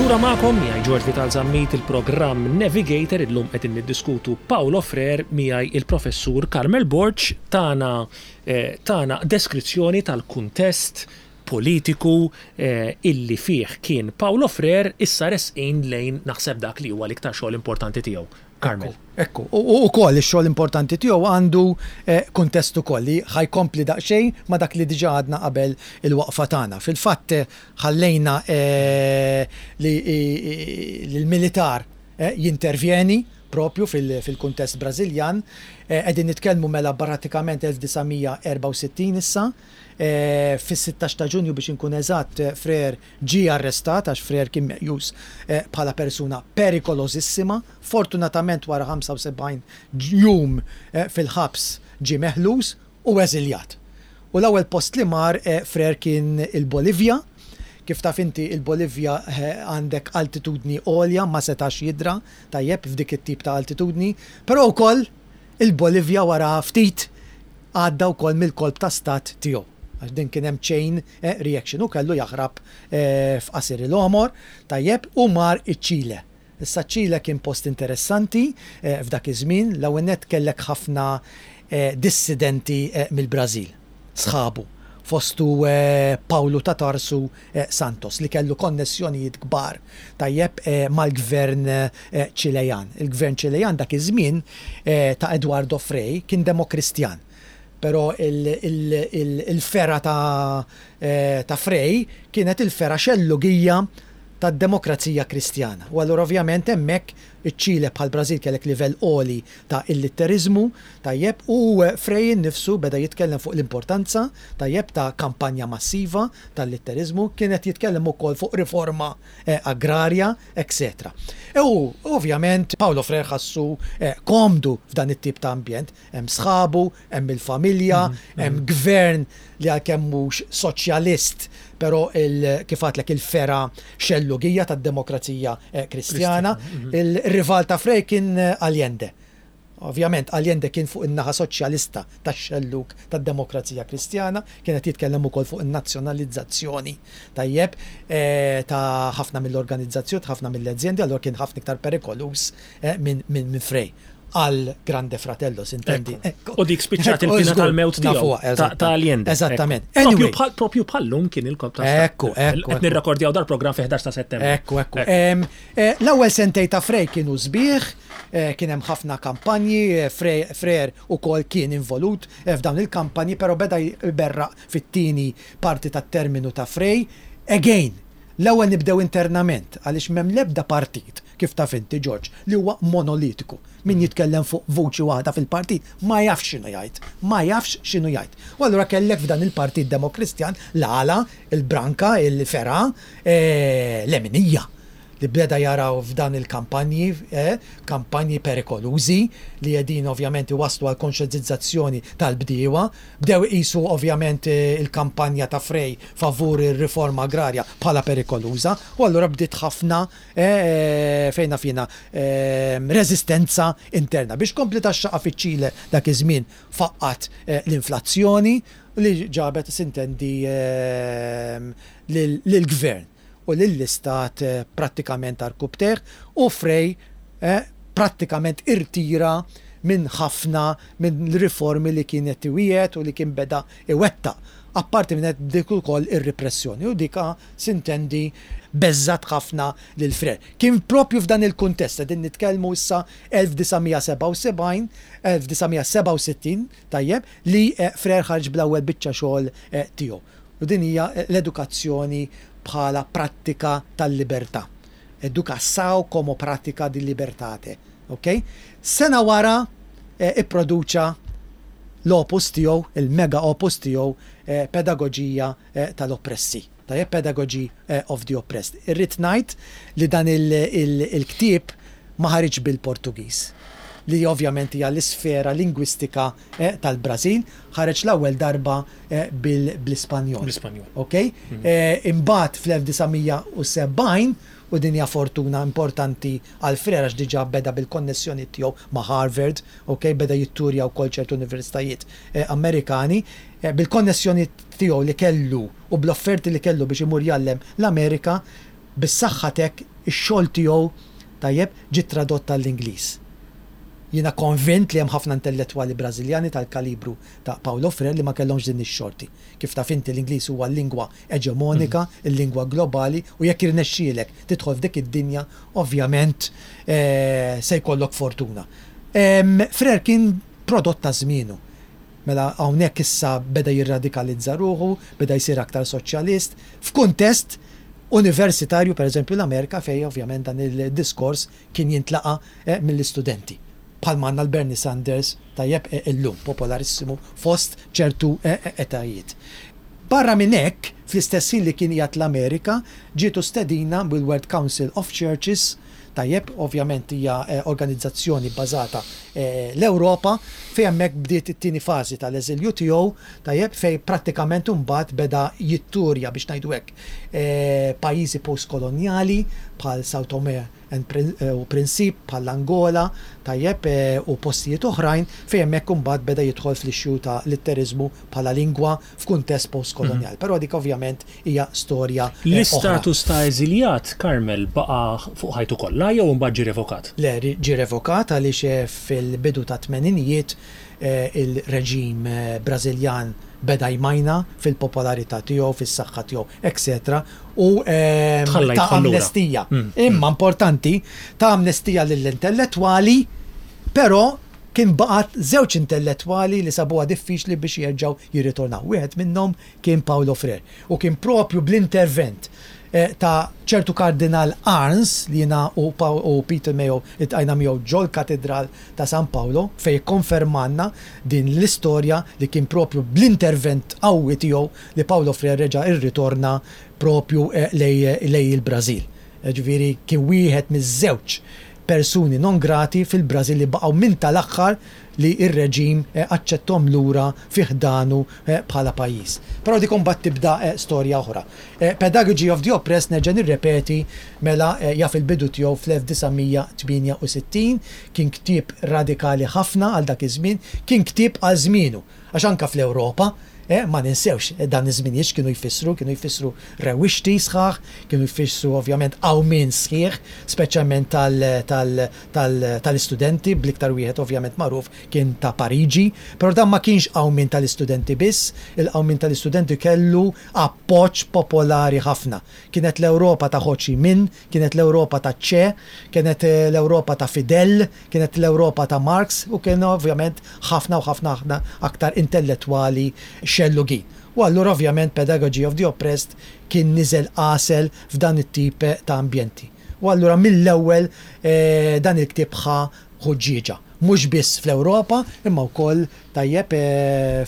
Lura magħkom miegħi George Vital Zammit il-programm Navigator illum qed niddiskutu Paulo Freire miegħi il-professur Carmel Borg tana eh, tana deskrizzjoni tal-kuntest politiku illi fih kien Paulo Freire issa resqin lejn naħseb dak li huwa l-iktar xogħol importanti tiegħu. Carmel. Ekku, u wkoll ix-xogħol importanti tiegħu għandu kuntest ukoll li ħa jkompli daqsxejn ma' dak li diġà għadna qabel il-waqfa tagħna. Fil-fatt ħallejna li l-militar jintervjeni propju fil-kuntest Brażiljan. Qegħdin nitkellmu mela pratikament 1964 issa. Fis-16 ta' Ġunju biex inkun eżatt, Freire ġie arrestat għax Freire kien meqjus bħala persuna perikolożissima. Fortunatament wara 75 jum fil-ħabs ġie meħlus u eżiljat. U l-ewwel post li mar Freire kien il-Bolivja. Kif taf inti il-Bolivja għandek altitudni għolja ma setax jidra tajjeb f'dik it-tip ta' altitudni, però wkoll Il-Bolivja wara ftit għadda wkoll mill-kolp ta' stat tiegħu, għax din kien hemm chain reaction, hu kellu jaħrab f'qasir il-għomor, tajjeb, u mar iċ-Ċile. Issa ċ-Ċile kien post interessanti f'dak iż-żmien, l-ewwel nett kellek ħafna dissidenti mill-Brażil, sħabu, fostu Paulo ta' Tarsu Santos li kellu konnessjonijiet kbar tajjeb mal-gvern Ċilejan. Il-gvern Ċilejan dak iż-żmien ta' Eduardo Frei kien Demokristjan. Però il-fergħa ta' Frei kienet il-fergħa xellugija tad-Demokrazija Kristjana. U allura ovvjament hemmhekk iċ-Ċile bħall-Brażil kellek livell għoli ta' illitteriżmu, tajjeb, u Frei innifsu beda jitkellem fuq l-importanza, tajjeb, ta' kampanja massiva tal-litteriżmu, kien qed jitkellem ukoll fuq riforma agrarja, etcetera. U ovvjament Paulo Freire ħassu komdu f'dan it-tip ta' ambjent, hemm sħabu, hemm il-familja, hemm gvern li għalkemm mhux soċjalist, però kif għadtlek il-fergħa xellugija tad-demokrazija Kristjana. Il-rival ta' Frei kien Allende. Ovvjament Allende kien fuq in-naħa soċjalista tax-xellug tad-demokrazija Kristjana, kien qed jitkellem ukoll fuq in-nazzjonalizzazzjoni, tajjeb, ta' ħafna mill-organizzazzjoni, ta' ħafna mill-azjendi, allura kien ħafna iktar perikoluż minn Frei. Għal Grande Fratello, sintendi. U dik spiċċat il-pina tal-mewt tiegħu. Ta' Allende. Eżattament. Propju bħallum kien il-kop ta' Ekku, ekku. Qed nirrekordjaw dal-programm fi 11 ta' Settembru. Ekku, ekku. L-ewwel sentej ta' Frei kienu sbieħ, kien hemm ħafna kampanji, Freire ukoll kien involut f'dawn il-kampanji, però beda jberraq fit-tieni parti tat-terminu ta' Frei. Again, l-ewwel nibdew internament, għaliex m'hemm l-ebda partit kif taf inti, George, li huwa monolitiku. Min jitkellem fuq vuċi waħda fil-partit ma jafx x'inhu jgħid. Ma jafx x'inhu jgħid. U allura kellek f'dan il-Partit Demokristjan l-għala, il-branka, il-fergħa, leminija li beda jaraw f'dan il-kampanji, kampanji perikolużi li qegħdin ovvjament iwasslu għal konxjentizzazzjoni tal-bdiewa. Bdew iqisu ovvjament il-kampanja ta' Frei favur ir-riforma agrarja bħala perikoluża u allura bdiet ħafna fejn naf jiena, reżistenza interna. Biex tkompli tgħaxxaqha fiċ-Ċile dak iż-żmien faqqgħet l-inflazzjoni li ġabet sintendi lill-gvern u lill-istat prattikament għarkupptejh u Frei prattikament irtira minn ħafna minn riformi li kien qed iwiegħed u li kien beda iwettaq. Apparti minn hekk dik ukoll ir-ripressjoni u dik sintendi beżżgħet ħafna lil Frere. Kien proprju f'dan il-kuntest, qegħdin nitkellmu issa 1977, 1967, tajjeb, li Frere ħareġ bl-ewwel biċċa xogħol tiegħu. U din hija l-edukazzjoni bħala prattika tal-libertà. Educação como pratica di libertate. Ok? Sena wara ipproduċa l-opus tiegħu, il-mega opus tiegħu, Pedagoġija tal-Oppressi. Tajjeb, Pedagogy of the Oppressed. Irrid ngħid li dan il-ktieb ma ħariġx bil-Portugiż, li ovvjament hija l-isfera lingwistika tal-Brażil, ħareġ l-ewwel darba bl-Ispanjol. Bl-Ispanjol. Ok? Imbagħad fl-1970, u din hija fortuna importanti għal Frere għax diġà beda bil-konnessjonijiet tiegħu ma' Harvard, ok, beda jitturja wkoll ċertu universitajiet Amerikani, bil-konnessjonijiet tiegħu li kellu u bl-offerti li kellu biex imur jgħallem l-Amerika, bis-saħħa t'hekk ix-xogħol tiegħu, tajjeb, ġie tradott għall-Ingliż. Jiena konvint li hemm ħafna intellettwali Brażiljani tal-kalibru ta' Paulo Freire li ma kellhomx din ix-xorti. Kif taf inti l-Ingliż huwa l-lingwa eġemonika, il-lingwa globali u jekk jirnexxielek tidħol f'dik id-dinja ovvjament se jkollok fortuna. Freire kien prodott ta' żmienu. Mela hawnhekk issa beda jirradikalizza ruħu, beda jsir aktar soċjalist, f'kuntest universitarju, pereżempju l-Amerika fejn ovvjament dan il-diskors kien jintlaqa' mill-istudenti. Bħalma għandna l-Bernie Sanders, tajjeb, illum, popolarissimu fost ċertu etajiet. Barra minn hekk, fl-istess ħin li kien qiegħed l-Amerika, ġietu stedina mill-World Council of Churches, tajjeb, ovvjament hija organizzazzjoni bbażata l-Ewropa, fejn hemmhekk bdiet it-tieni fażi tal-eżilju tiegħu, tajjeb, fejn prattikament imbagħad beda jitturja, biex ngħidu hekk, pajjiżi postkolonjali bħal São Tomé u Principe bħal l-Angola, tajjeb, u postijiet oħrajn fejn hemmhekk imbagħad beda jidħol fl-issue ta' litteriżmu bħala lingwa f'kuntest postkolonjali. Però dik ovvjament hija storja oħra. L-istatus ta' eżiljat, Carmel, baqa' fuq ħajtu kollha jew imbagħad ġie revokat? Le, ġie revokat għaliex fil-bidu tat-tmeninijiet il-reġim Brażiljan beda jmajna fil-popolarità tiegħu, fis-saħħa tiegħu, etc. U ta amnestija. Imma importanti, ta amnestija lill-intellettwali, però kien baqgħet żewġ intellettwali li sabuha diffiċli biex jerġgħu jirritornaw. Wieħed minnhom kien Paulo Freire. U kien propju bl-intervent ta' ċertu Kardinal Arns li jiena u Peter Mayo iltqajna miegħu ġol-Katidral ta' San Paolo fejn ikkonfermalna din l-istorja li kien propju bl-intervent qawwi tiegħu li Paulo Freire reġa' rritorna propju lejn il-Brażil. Jiġifieri kien wieħed miż-żewġ persuni non grati fil-Brażil li baqgħu minn tal-aħħar li r-reġim aċċetthom lura fi ħdanu bħala pajjiż. Però dik imbagħad tibda storja oħra. Pedagogy of the Oppressed nerġa' nirrepeti mela jaf il-bidu tiegħu fl-1968, kien ktieb radikali ħafna għal dak iż-żmien, kien ktieb għal żmienu, għax anke fl-Ewropa, ma ninsewx dan iż-żminijiet x'kienu jfissru, kienu jfissru rewwixti sħaħ, kienu jfissru ovvjament qawmien sħiħ, speċjalment tal-istudenti, bl-iktar wieħed ovvjament magħruf kien ta' Pariġi, però dan ma kienx qawmien tal-istudenti biss, il-qawmien tal-istudenti kellu appoġġ popolari ħafna. Kienet l-Ewropa ta' Ho Chi Minh, kienet l-Ewropa ta' Che, kienet l-Ewropa ta' Fidel, kienet l-Ewropa ta' Marx u kien ovvjament ħafna u ħafna ħafna aktar intellettwali xellugin. U allura ovvjament Pedagogy of the Oppressed kien niżel għasel f'dan it-tip ta' ambjenti. U allura mill-ewwel dan il-ktieb ħa ħuġġieġa. Mhux biss fl-Ewropa imma wkoll tajjeb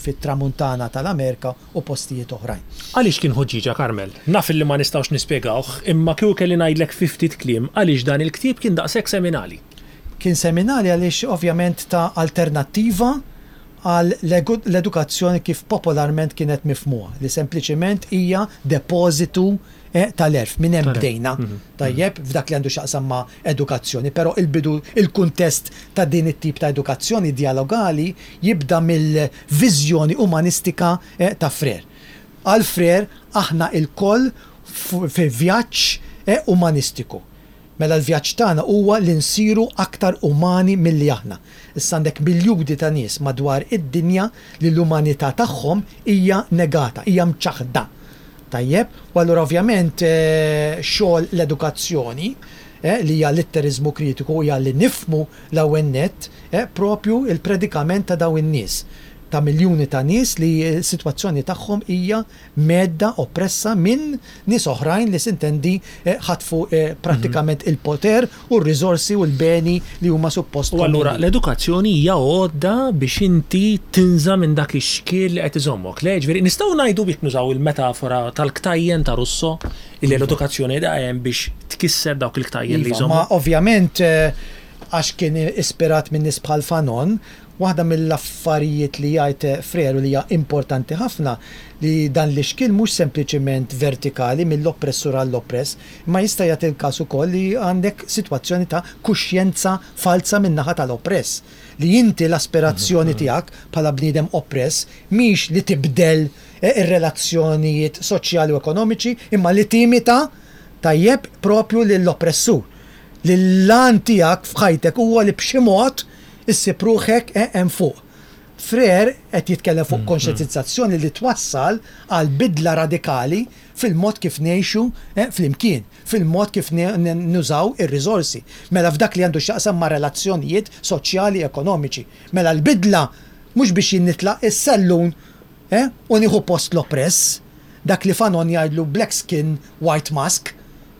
fit-Tramuntana tal-Amerika u postijiet oħrajn. Għaliex kien ħuġġieġa, Carmel? Naf illi ma nistgħux nispjegawh, imma kieku kelli ngħidlek fi ftit kliem għaliex dan il-ktieb kien daqshekk seminali. Kien seminali għaliex ovvjament ta alternattiva għal l-edukazzjoni kif popolarment kienet mifhmuha, li sempliċiment hija depożitu tal-għerf. Minn hemm bdejna, tajjeb, f'dak li għandu x'jaqsam ma' edukazzjoni, però il-bidu, il-kuntest ta' din it-tip ta' edukazzjoni djalogali jibda mill-viżjoni umanistika ta' Freire. Għal Freire, aħna ilkoll fi vjaġġ umanistiku. Mela l-vjaġġ tagħna huwa li nsiru aktar umani milli aħna. Issa għandek miljuni ta' nies madwar id-dinja li l-umanità tagħhom hija negata, hija mċaħħda. Tajjeb? U allura ovvjament xogħol l-edukazzjoni, li hija litteriżmu kritiku, hija li nifhmu l-ewwel nett propju l-predikament ta' dawn in-nies, ta' miljuni ta' nies li s-sitwazzjoni tagħhom hija mhedda, oppressa minn nies oħrajn li sintendi ħatfu prattikament il-poter u r-riżorsi u l-beni li huma suppost U allura l-edukazzjoni hija għodda biex inti tinża' minn dak ix-xkiel li qed iżommok. Le, jiġifieri nistgħu ngħidu jekk nużaw il-metafora tal-ktajjen ta' Rousseau, illi l-edukazzjoni qiegħda hemm biex tkisser dawk il-ktajjen li jżommok. Iva, ma ovvjament għax kien ispirat minn nies bħal Fanon, Waħda mill-affarijiet li jgħid Freire u li hija importanti ħafna li dan l-ixkiel mhux sempliċiment vertikali mill-oppressur għall-oppress, imma jista' jagħti l-każ ukoll li għandek sitwazzjoni ta' kuxjenza falza min-naħa tal-oppress. Li inti l-aspirazzjoni tiegħek bħala bniedem oppress mhix li tibdel ir-relazzjonijiet soċjali u ekonomiċi imma li timita tajjeb propju lill-oppressur. Li l-għan tiegħek f'ħajtek huwa li b'xi mod Issib ruħek hemm fuq. Freire qed jitkellem fuq konxjentizzazzjoni li twassal għal bidla radikali fil-mod kif ngħixu flimkien, fil-mod kif nużaw ir-riżorsi. Mela f'dak li għandu x'jaqsam ma' relazzjonijiet soċjali ekonomiċi. Mela l-bidla mhux biex jien nitlaq is-sellun u nieħu post l-oppress, dak li Fanon jgħidlu black skin, white mask,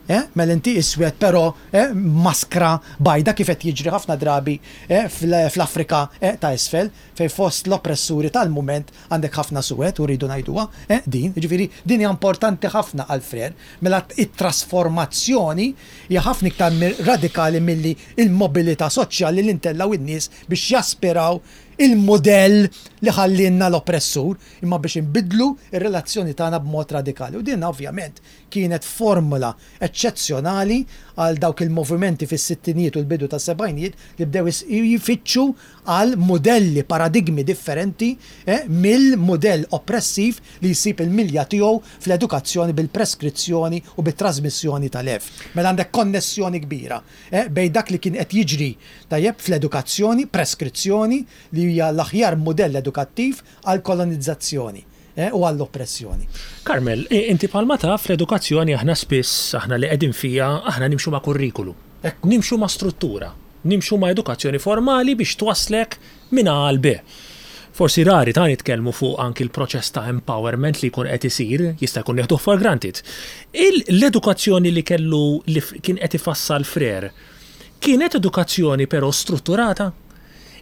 Eh, mela inti iswed però, eh, maskra bajda kif qed jiġri ħafna drabi, eh, fl-Afrika, eh, ta' isfel, fejn fost l-oppressuri tal-mument għandek ħafna suwed u rridu ngħiduha, eh, din. Jiġifieri din hija importanti ħafna għal Freire. Mela t-trasformazzjoni hija ħafna iktar radikali milli l-mobilità soċjali li ntellgħu n-nies biex jaspiraw il-mudell li ħallielna l-oppressur, imma biex inbiddlu r-relazzjoni tagħna b'mod radikali. U din ovvjament Kienet formula eċċezzjonali għal dawk il-movimenti fis-sittinijiet u l-bidu tas-sebgħinijiet li bdew jfittxu għal mudelli, paradigmi differenti mill-mudell oppressiv li jsib il-milja tiegħu fl-edukazzjoni bil-preskrizzjoni u bit-trażmissjoni tal-għerf. Mela għandek konnessjoni kbira bejn dak li kien qed jiġri, tajjeb, fl-edukazzjoni, preskrizzjoni, li hija l-aħjar mudell edukattiv għall-kolonizzazzjoni. u għall-oppressjoni. Carmel, inti bħalma taf l-edukazzjoni aħna spiss, aħna li qegħdin fiha, aħna nimxu ma' kurrikulu. Nimxu ma' struttura. Nimxu ma' edukazzjoni formali biex twasslek minn A għal B. Forsi rari ta' nitkellmu fuq anki l-proċess ta' empowerment li jkun qed isir, jista' jkun nieħduh for granted. L-edukazzjoni li kellu li kien qed ifassal Freire, kienet edukazzjoni però strutturata?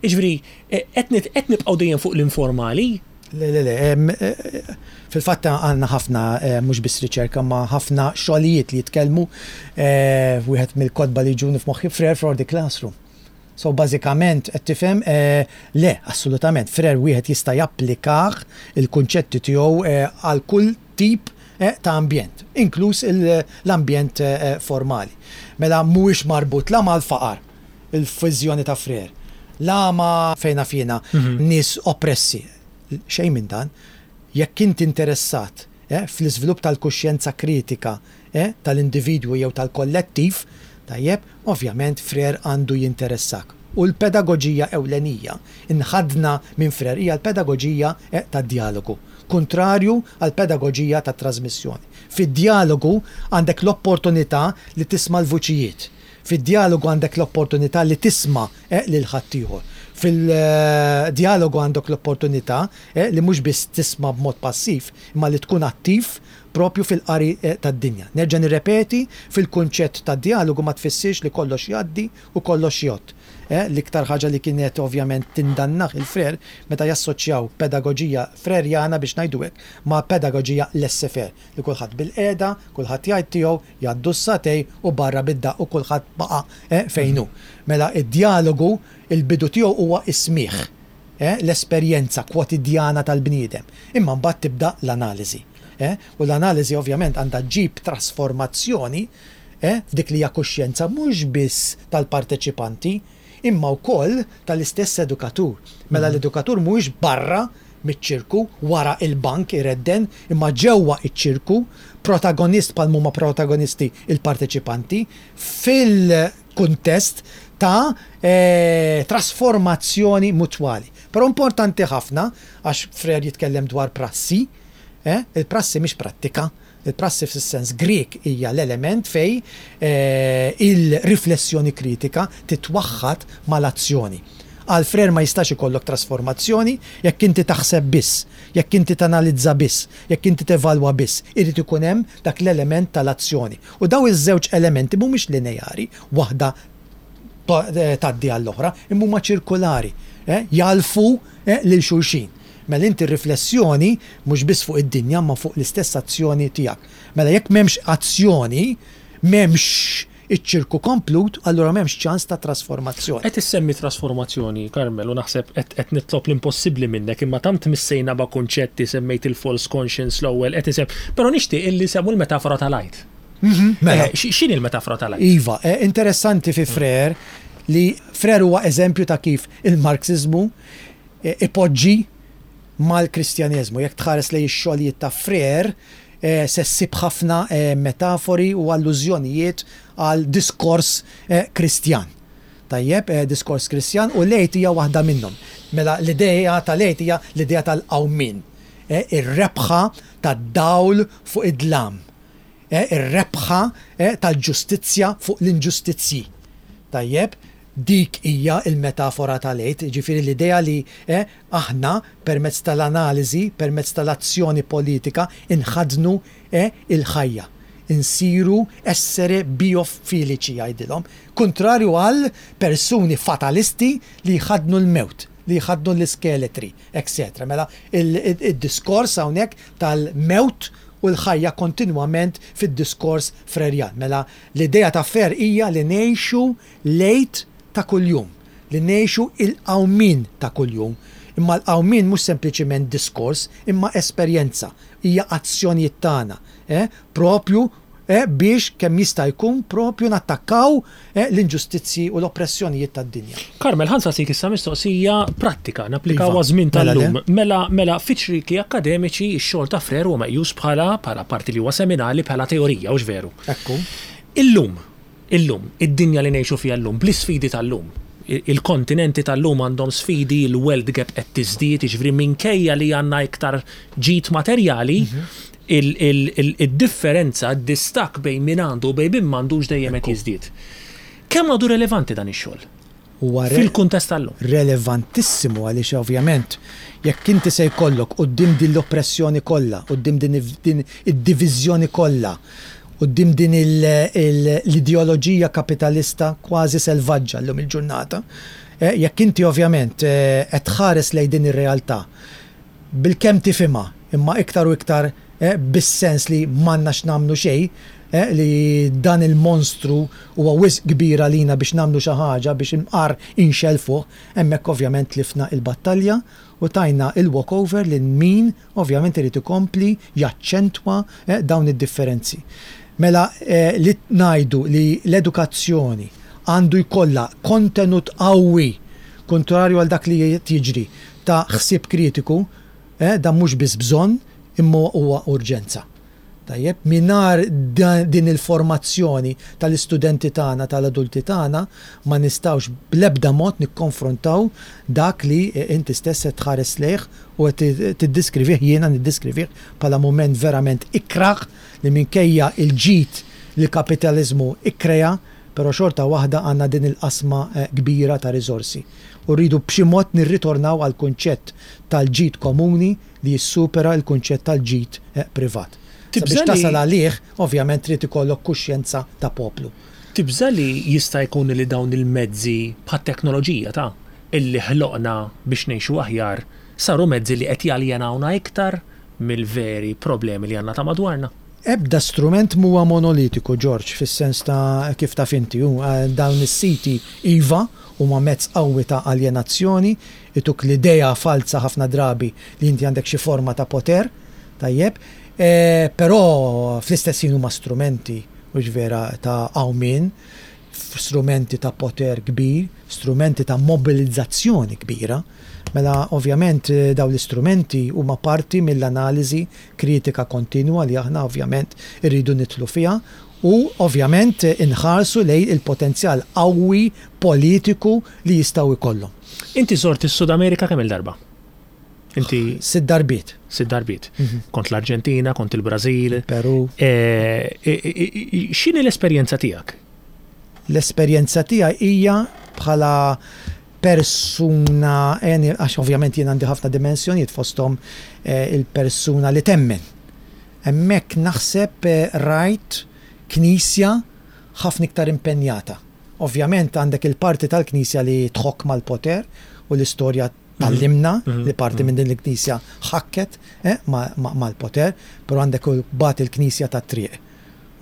Jiġifieri, qed nibqgħu dejjem fuq l-informali? Le, le, le. Fil-fatt għandna ħafna, mhux biss riċerka, ma ħafna xogħlijiet li jitkellmu. Wieħed mill-kotba li jiġuni f'moħħi Freire for the Classroom. So bażikament qed tifhem, le, assolutament, Freire wieħed jista' japplikah il-kunċetti tiegħu għal kull tip ta' ambjent, inkluż l-ambjent formali. Mela mhuwiex marbut la mal-faqar, il-viżjoni ta' Freire. La ma fejn naf jiena nies oppressi. Xejn minn dan. Jekk inti interessat fl-iżvilupp tal-kuxjenza kritika tal-individwu jew tal-kollettiv, tajjeb, ovvjament Freire għandu jinteressak. U l-pedagoġija ewlenija nħaddna minn Freire hija l-pedagoġija tad-djalogu, kuntrarju għall-pedagoġija tat-trażmissjoni. Fid-djalogu għandek l-opportunità li tisma' l-vuċijiet. Fid-djalogu għandek l-opportunità li tisma' lil ħaddieħor. Fil-djalogu għandok l-opportunità li mhux biss tisma' b'mod passiv, imma li tkun attiv propju fil-qari tad-dinja. Nerġa' nirrepeti, fil-kunċett ta' djalogu ma tfissirx li kollox jgħaddi u kollox jgħodd. L-iktar ħaġa li kienet ovvjament tindannah il-Freire meta jassoċjaw pedagoġija Frerjana biex ngħidu hekk ma' pedagoġija laissez-faire, li kulħadd bilqiegħda, kulħadd jgħid tiegħu, jgħaddu s-sagħtej u barra bid-daqq u kulħadd baqa' fejn hu. Mela d-djalogu, il-bidu tiegħu huwa s-smigħ, l-esperjenza kwotidjana tal-bniedem. Imma mbagħad tibda l-analiżi. U l-analiżi ovvjament għandha ġġib trasformazzjoni f'dik li hija kuxjenza mhux biss tal-parteċipanti, imma wkoll tal-istess edukatur. Mela l-edukatur mhuwiex barra miċ-ċirku, wara il-bank iredden, imma ġewwa iċ-ċirku, protagonist bħal m'huma protagonisti il-parteċipanti, fil-kuntest ta' trasformazzjoni mutwali. Però importanti ħafna, għax Freire jitkellem dwar prassi, il-prassi mhix prattika, Il-prassi fis-sens Grieg hija l-element fejn il-riflessjoni kritika titwaħħad mal-azzjoni. Għal Freire ma jistax ikollok trasformazzjoni jekk inti taħseb biss, jekk inti tanalizza biss, jekk inti tevalwa biss. Irid ikun hemm dak l-element tal-azzjoni. U dawn iż-żewġ elementi mhumiex lineari, waħda tgħaddi għall-oħra, imma huma ċirkulari, jagħlfu lil xulxin. Mela inti r-riflessjoni mhux biss fuq id-dinja imma fuq l-istess azzjoni tiegħek. Mela jekk m'hemmx azzjoni, m'hemmx iċ-ċirku komplut, allura m'hemmx ċans ta' trasformazzjoni. Qed issemmi trasformazzjoni, Carmel, u naħseb qed qed nitlob l-impossibbli minnek, imma tant missejna ba' kunċetti, semmejt il-false conscience l-ewwel, qed isemm, però nixtieq illi nsemmu l-metafora tal-Għid. Mela. X'inhi l-metafora tal-Għid? Iva, interessanti fi Freire li Freire huwa eżempju ta' kif il-Marxiżmu ipoġġi mal-Kristjaneżmu. Jekk tħares lejn ix-xogħlijiet ta' Freire, se ssib ħafna metafori u allużjonijiet għal diskors Kristjan. Tajjeb, diskors Kristjan u l-Għid hija waħda minnhom. Mela l-idea tal-Għid hija l-idea tal-qawmien, ir-rebħa tad-dawl fuq id-dlam. Ir-rebħa tal-ġustizzja fuq l-inġustizzji. Tajjeb, dik hija l-metafora tal-Għid, jiġifieri l-idea li aħna permezz tal-analiżi, permezz tal-azzjoni politika inħaddnu il-ħajja. Insiru essere biofiliċi jgħidilhom, kuntrarju għal persuni fatalisti li jħaddnu l-mewt, li jħaddnu l-iskeletri, etc. Mela id-diskors hawnhekk tal-mewt u l-ħajja kontinwament fid-diskors Frerjan. Mela l-idea ta' Freire hija li ngħixu l-Għid ta' kuljum, li ngħixu il-qawmien ta' kuljum. Imma l-qawmien mhux sempliċiment diskors, imma esperjenza, hija azzjonijiet tagħna, eh, propju eh, biex kemm jista' jkun propju nattakkaw eh, l-inġustizzji u l-oppressjonijiet tad-dinja. Carmel, ħa nsaqsik issa mistoqsija prattika, napplikaw iva, għaż-żmien mela tal-lum. Mela, mela fiċ-ċrieki akkademiċi x-xogħol ta' Freire huwa meqjus bħala bħala parti li huwa seminali bħala teorija, hux veru? Ekku. Illum, illum, id-dinja li ngħixu fiha llum, bl-isfidi tal-lum, il-kontinenti tal-lum għandhom sfidi, il-wealth gap qed tiżdied, jiġifieri minkejja li għandna iktar ġid materjali, id-differenza, id-distakk bejn min għandu u bejn min m'għandux dejjem qed jiżdied. Kemm għadu relevanti dan ix-xogħol? Huwa fil-kuntest tal-lum. Relevantissimu għaliex ovvjament jekk inti se jkollok quddiem din l-oppressjoni kollha, quddiem din id-diviżjoni kollha, quddiem din l-ideoloġija kapitalista kważi selvaġġa llum il-ġurnata, jekk inti ovvjament qed tħares lejn din ir-realtà bilkemm tifhimha, imma iktar u iktar bis-sens li m'għandna x'nagħmlu xejn, li dan il-monstru huwa wisq kbir għalina biex nagħmlu xi ħaġa biex imqar inxellfuh, hemmhekk ovvjament tlifna il-battalja u tajna il-walkover lil min ovvjament irid ikompli jaċċentwa dawn id-differenzi. Mela li ngħidu li l-edukazzjoni għandu jkollha kontenut qawwi, kuntrarju għal dak li qed jiġri, ta' ħsieb kritiku, dan mhux biss bżonn imma huwa urġenza. Tajjeb, mingħajr din il-formazzjoni tal-istudenti tagħna, tal-adulti tagħna, ma nistgħux bl-ebda mod nikkonfrontaw dak li inti stess qed tħares lejh u qed tiddiskrivih, jiena niddiskrivih bħala mument verament ikrah li minkejja l-ġid li l-kapitaliżmu ikkrea, però xorta waħda għandna din il-qasma kbira ta' riżorsi. U rridu b'xi mod nirritornaw għall-kunċett tal-ġid komuni li jissupera l-kunċett tal-ġid privat. Sabiex tasal għalih, ovvjament trid ikollok kuxjenza ta' poplu. Tibża' li jista' jkun li dawn il-mezzi bħat-teknoloġija ta' illi ħloqna biex ngħixu aħjar saru mezzi li qed jaljenawna iktar mill-veri problemi li għandna ta' madwarna? Ebda strument m'huwa monolitiku, George, fis-sens ta' kif taf inti, hu, dawn is-siti iva, huma mezz qawwi ta' aljenazzjoni, ituk l-idea falza ħafna drabi li inti għandek xi forma ta' poter, tajjeb, però fl-istess ħin huma strumenti, hux vera, ta' qawmien. Strumenti ta' poter kbir, strumenti ta' mobilizzazzjoni kbira. Mela ovvjament dawn l-istrumenti huma parti mill-analiżi kritika kontinwa li aħna ovvjament irridu nidħlu fiha u ovvjament inħarsu lejn il-potenzjal qawwi politiku li jistgħu jkollhom. Inti żort is-Sud Amerika kemm-il darba? Inti. Sitt darbiet. Sitt darbiet. Kont l-Arġentina, kont il-Brażil. Peru. X'inhi l-esperjenza tiegħek? L-esperjenza tiegħi hija bħala persuna, għax ovvjament jien għandi ħafna dimensjonijiet fosthom il-persuna li temmen. Hemmhekk naħseb rajt Knisja ħafna iktar impenjata. Ovvjament għandek il-parti tal-Knisja li tħokk mal-poter u l-istorja tgħallimna li parti minn din il-Knisja ħakket mal-poter, però għandek imbagħad il-Knisja tat-triq.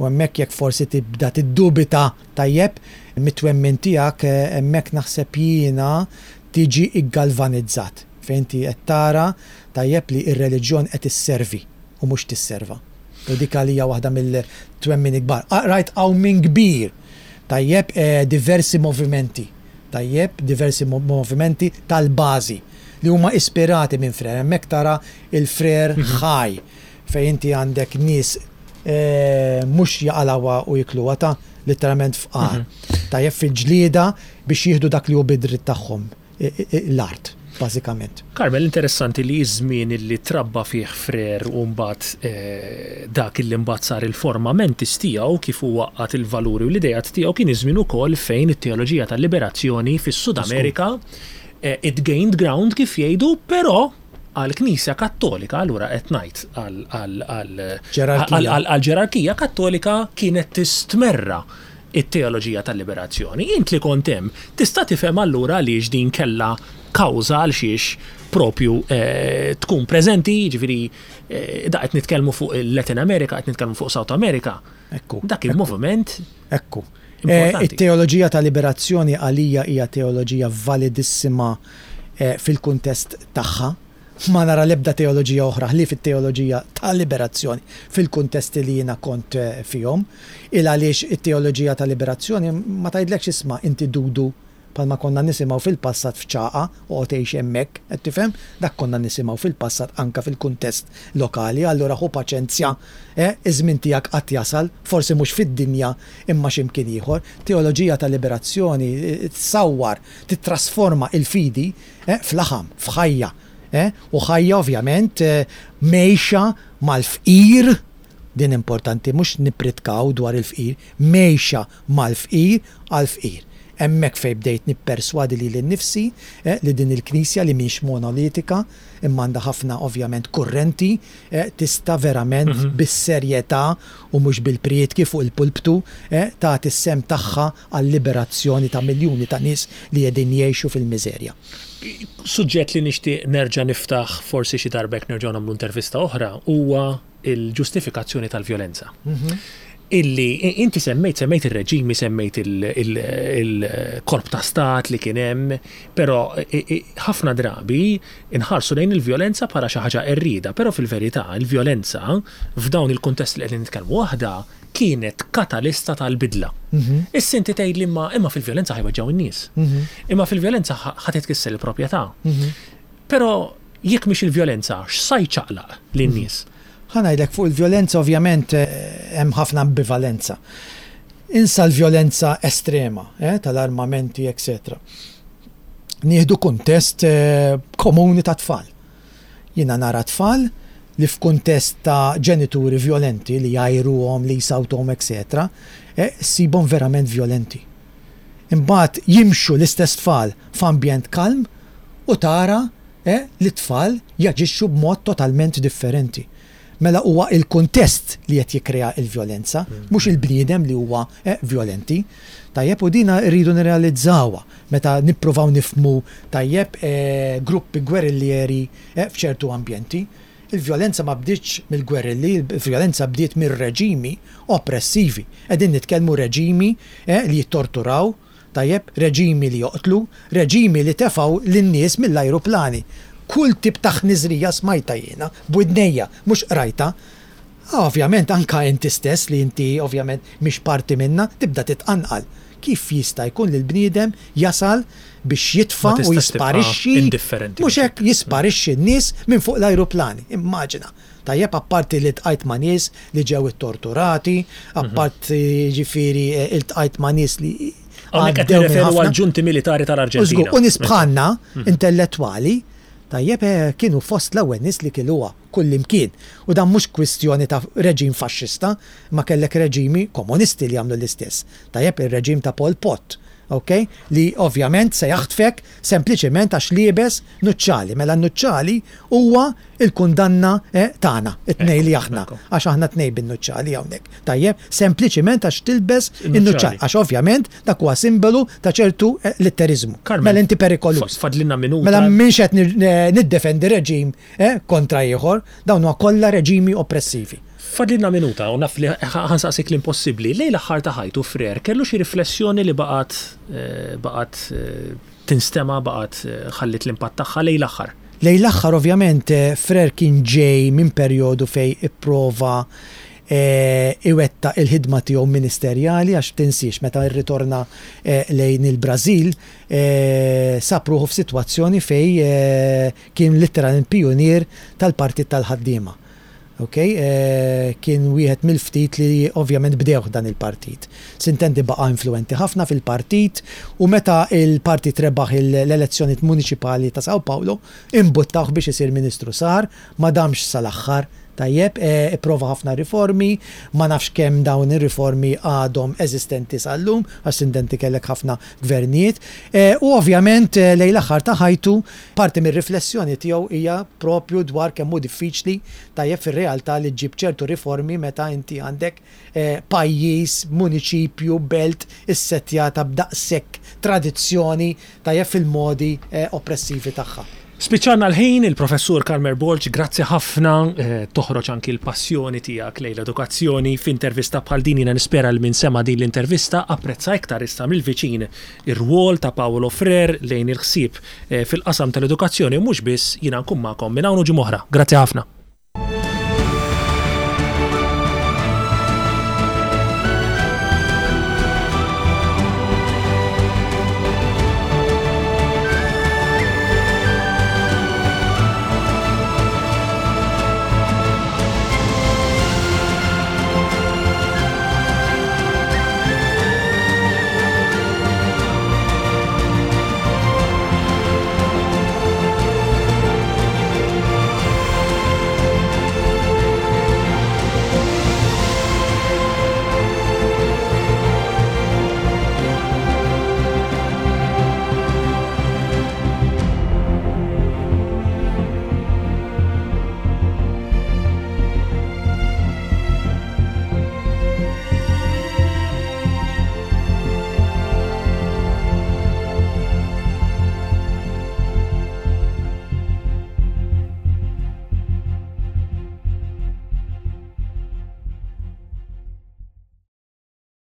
U hemmhekk jekk forsi tibda tiddubita tajjeb mit-twemmin tiegħek hemmhekk naħseb jiena tiġi ggalvanizzat fejn inti qed tara tajjeb li r-reliġjon qed isservi u mhux tisserva. U dik għalija waħda mill-twemmin kbar. Rajt qawmien kbir tajjeb diversi movimenti tajjeb diversi movimenti tal-bażi li huma ispirati minn Frere. Hemmhekk tara il-Frere ħaj fejn inti għandek nies mhux jaqalgħuha u jikluha ta' litteralment fqar. Tajjeb fil-ġlieda biex jieħdu dak li hu bid-dritt tagħhom, l-art, bażikament. Carmel, interessanti li ż-żmien li trabba fih Frere u mbagħad dak li mbagħad sar il-forma mentis tiegħu kif hu għaqqad il-valuri u l-ideat tiegħu kien iż-żmien ukoll fejn it-teoloġija tal-liberazzjoni fis-Sud Amerika it gained ground kif jgħidu, però għall-Knisja Kattolika, allura qed ngħid għall-ġerarkija Kattolika kienet tistmerra t-teoloġija tal-liberazzjoni. Int li kont hemm, tista' tifhem allura għaliex din kellha kawża għal xiex propju tkun preżenti, jiġifieri da qed nitkellmu fuq il-Latin America, qed nitkellmu fuq South America. Ekku. Dak il-moviment. Ekku. It-teoloġija ta' liberazzjoni għalija hija teoloġija validissima fil-kuntest tagħha. Ma nara l-ebda teoloġija oħra ħlief it-teoloġija ta' liberazzjoni fil-kuntesti li jiena kont fihom. Il għaliex it-teoloġija ta' liberazzjoni ma tgħidlekx isma' inti dudu bħalma konna nisimgħu fil-passat f'Ċagħqa, oqgħod għix hemmhekk, qed tifhem? Dak konna nisimgħu fil-passat anke fil-kuntest lokali, allura ħu paċenzja, eh, iż-żmien tiegħek għad jasal, forsi mhux fid-dinja imma xi mkien ieħor. Teoloġija ta' liberazzjoni tsawwar, tittrasforma il-fidi, eh, f'laħam, f'ħajja, eh, u ħajja ovvjament mgħejxa mal-fqir, din importanti, mhux nippritkaw dwar il-fqir, mgħejxa mal-fqir għall-fqir. Hemmhekk fejn bdejt nipperswadi lili nnifsi li din il-Knisja li mhix monolitika imma għandha ħafna ovvjament kurrenti tista' verament bis-serjetà u mhux bil-prietki fuq il-pulptu tagħti s-sehem tagħha għal-liberazzjoni ta' miljuni ta' nies li qegħdin jgħixu fil-miżerja. Suġġett li nixtieq nerġa' niftaħ forsi xi darba jekk nerġgħu nagħmlu intervista oħra huwa il-ġustifikazzjoni tal-vjolenza. Illi inti semmejt, semmejt ir-reġimi, semmejt il-korp ta' stat li kien hemm, però ħafna drabi nħarsu lejn il-vjolenza bħala xi ħaġa qerrieda, però fil-verità il-vjolenza f'dawn il-kuntesti li qegħdin nitkellmu waħda kienet katalista tal-bidla. Issa inti tgħidli imma imma fil-vjolenza ħa jweġġgħu n-nies. Imma fil-vjolenza ħa titkisser il-proprjetà. Però jekk mhix il-vjolenza, x'sa jċaqlaq lin-nies? Ħa ngħidlek fuq il-vjolenza ovvjament hemm ħafna ambivalenza. Insa l-vjolenza estrema, eh, tal-armamenti, etc. Nieħdu kuntest komuni ta' tfal. Jiena nara tfal li f'kuntest ta' ġenituri vjolenti li jgħajruhom, li jsawtuhom, etc., eh, ssibhom verament vjolenti. Imbagħad jimxu l-istess tfal f'ambjent kalm u tara li t-tfal jaġixxu b'mod totalment differenti. Mela huwa l-kuntest li qed jikkrea l-vjolenza, mhux il-bniedem li huwa vjolenti. Tajjeb, u dina rridu nirrealizzawha meta nippruvaw nifhmu tajjeb gruppi gwerillieri f'ċertu ambjenti. Il-vjolenza ma bdietx mill-gwerilli, il-vjolenza bdiet mir-reġimi oppressivi. Qegħdin nitkellmu reġimi li jittorturaw, tajjeb, reġimi li joqtlu, reġimi li tefgħu lin-nies mill-ajruplani. Kull tip ta' ħniżrija smajtha jiena, b'widnejja, mhux qrajtha. Ovvjament anka inti stess li inti ovvjament mhix parti minnha, tibda titqanqal. Kif jista' jkun li l-bniedem jasal biex jitfa' u jisparixxi, mhux hekk, jisparixxi n-nies minn fuq l-ajruplani. Immaġina. Tajjeb, apparti li ltqajt ma' nies li ġew ittorturati, apparti jiġifieri iltqajt ma' nies li Hawnhekk qed nirreferu għall-ġunti militari tal-Arġentina. U nies bħalna, intellettwali, tajjeb, kienu fost l-ewwel nies li kiluha kullimkien. U dan mhux kwistjoni ta' reġim faxxista, imma kellek reġimi komunisti li għamlu l-istess. Tajjeb, ir-reġim ta' Pol Pot, ok, li ovvjament se jaħtfek sempliċement għax liebes nuċċali. Mela n-nuċċali huwa l-kundanna tagħna, it-tnejn li aħna, għax aħna tnejn bin-nuċċali hawnhekk. Tajjeb, sempliċement għax tilbes in-nuċċali, għax ovvjament dak huwa simbolu ta' ċertu litteriżmu. Mela inti perikoluż. Fadlilna minuta. Mela m'iniex qed niddefendi reġim kontra ieħor, dawn huma kollha reġimi oppressivi. Fadlilna minuta u naf li ħa nsaqsik l-impossibbli. Lejn l-aħħar ta' ħajtu Frere kellu xi riflessjoni li baqgħet baqgħet tinstema' baqgħet ħalliet l-impatt tagħha lejn l-aħħar? Lejn l-aħħar ovvjament Frere kien ġej minn perjodu fejn ipprova iwettaq il-ħidma tiegħu ministerjali għax tinsiex meta rritorna lejn il-Brażil sab ruħu f'sitwazzjoni fejn kien litteralment pijunier tal-Partit tal-Ħaddiema. Ok, kien wieħed mill-ftit li ovvjament bdewh dan il-partit. Sintendi baqa' influwenti ħafna fil-partit u meta l-partit rebaħ l-elezzjonijiet muniċipali ta' Sao Paulo, imbuttawh biex isir ministru. Sar, ma damx sal-aħħar, tajjeb, ipprova ħafna riformi, ma nafx kemm dawn ir-riformi għadhom eżistenti sal-lum, għax sintendi kellek ħafna gvernijiet. U ovvjament lejn l-aħħar ta' ħajtu, Parti mir-riflessjoni tiegħu hija proprju dwar kemm hu diffiċli, tajjeb fir-realtà li ġġib ċertu riformi meta inti għandek pajjiż, muniċipju, belt issettjata b'daqshekk tradizzjoni, tajjeb fil-modi oppressivi tagħha. Spiċċalna l-ħin, il-Professur Carmer Borg, grazzi ħafna, toħroġ anki l-passjoni tiegħek lejn l-edukazzjoni f'intervista bħal din jiena nispera li min sema' din l-intervista apprezza iktar issa mill-viċin ir-rwol ta' Paolo Frere lejn il-ħsieb fil-qasam tal-edukazzjoni u mhux biss, jiena nkun magħkom minn hawn u ġimgħa oħra. Grazzi ħafna.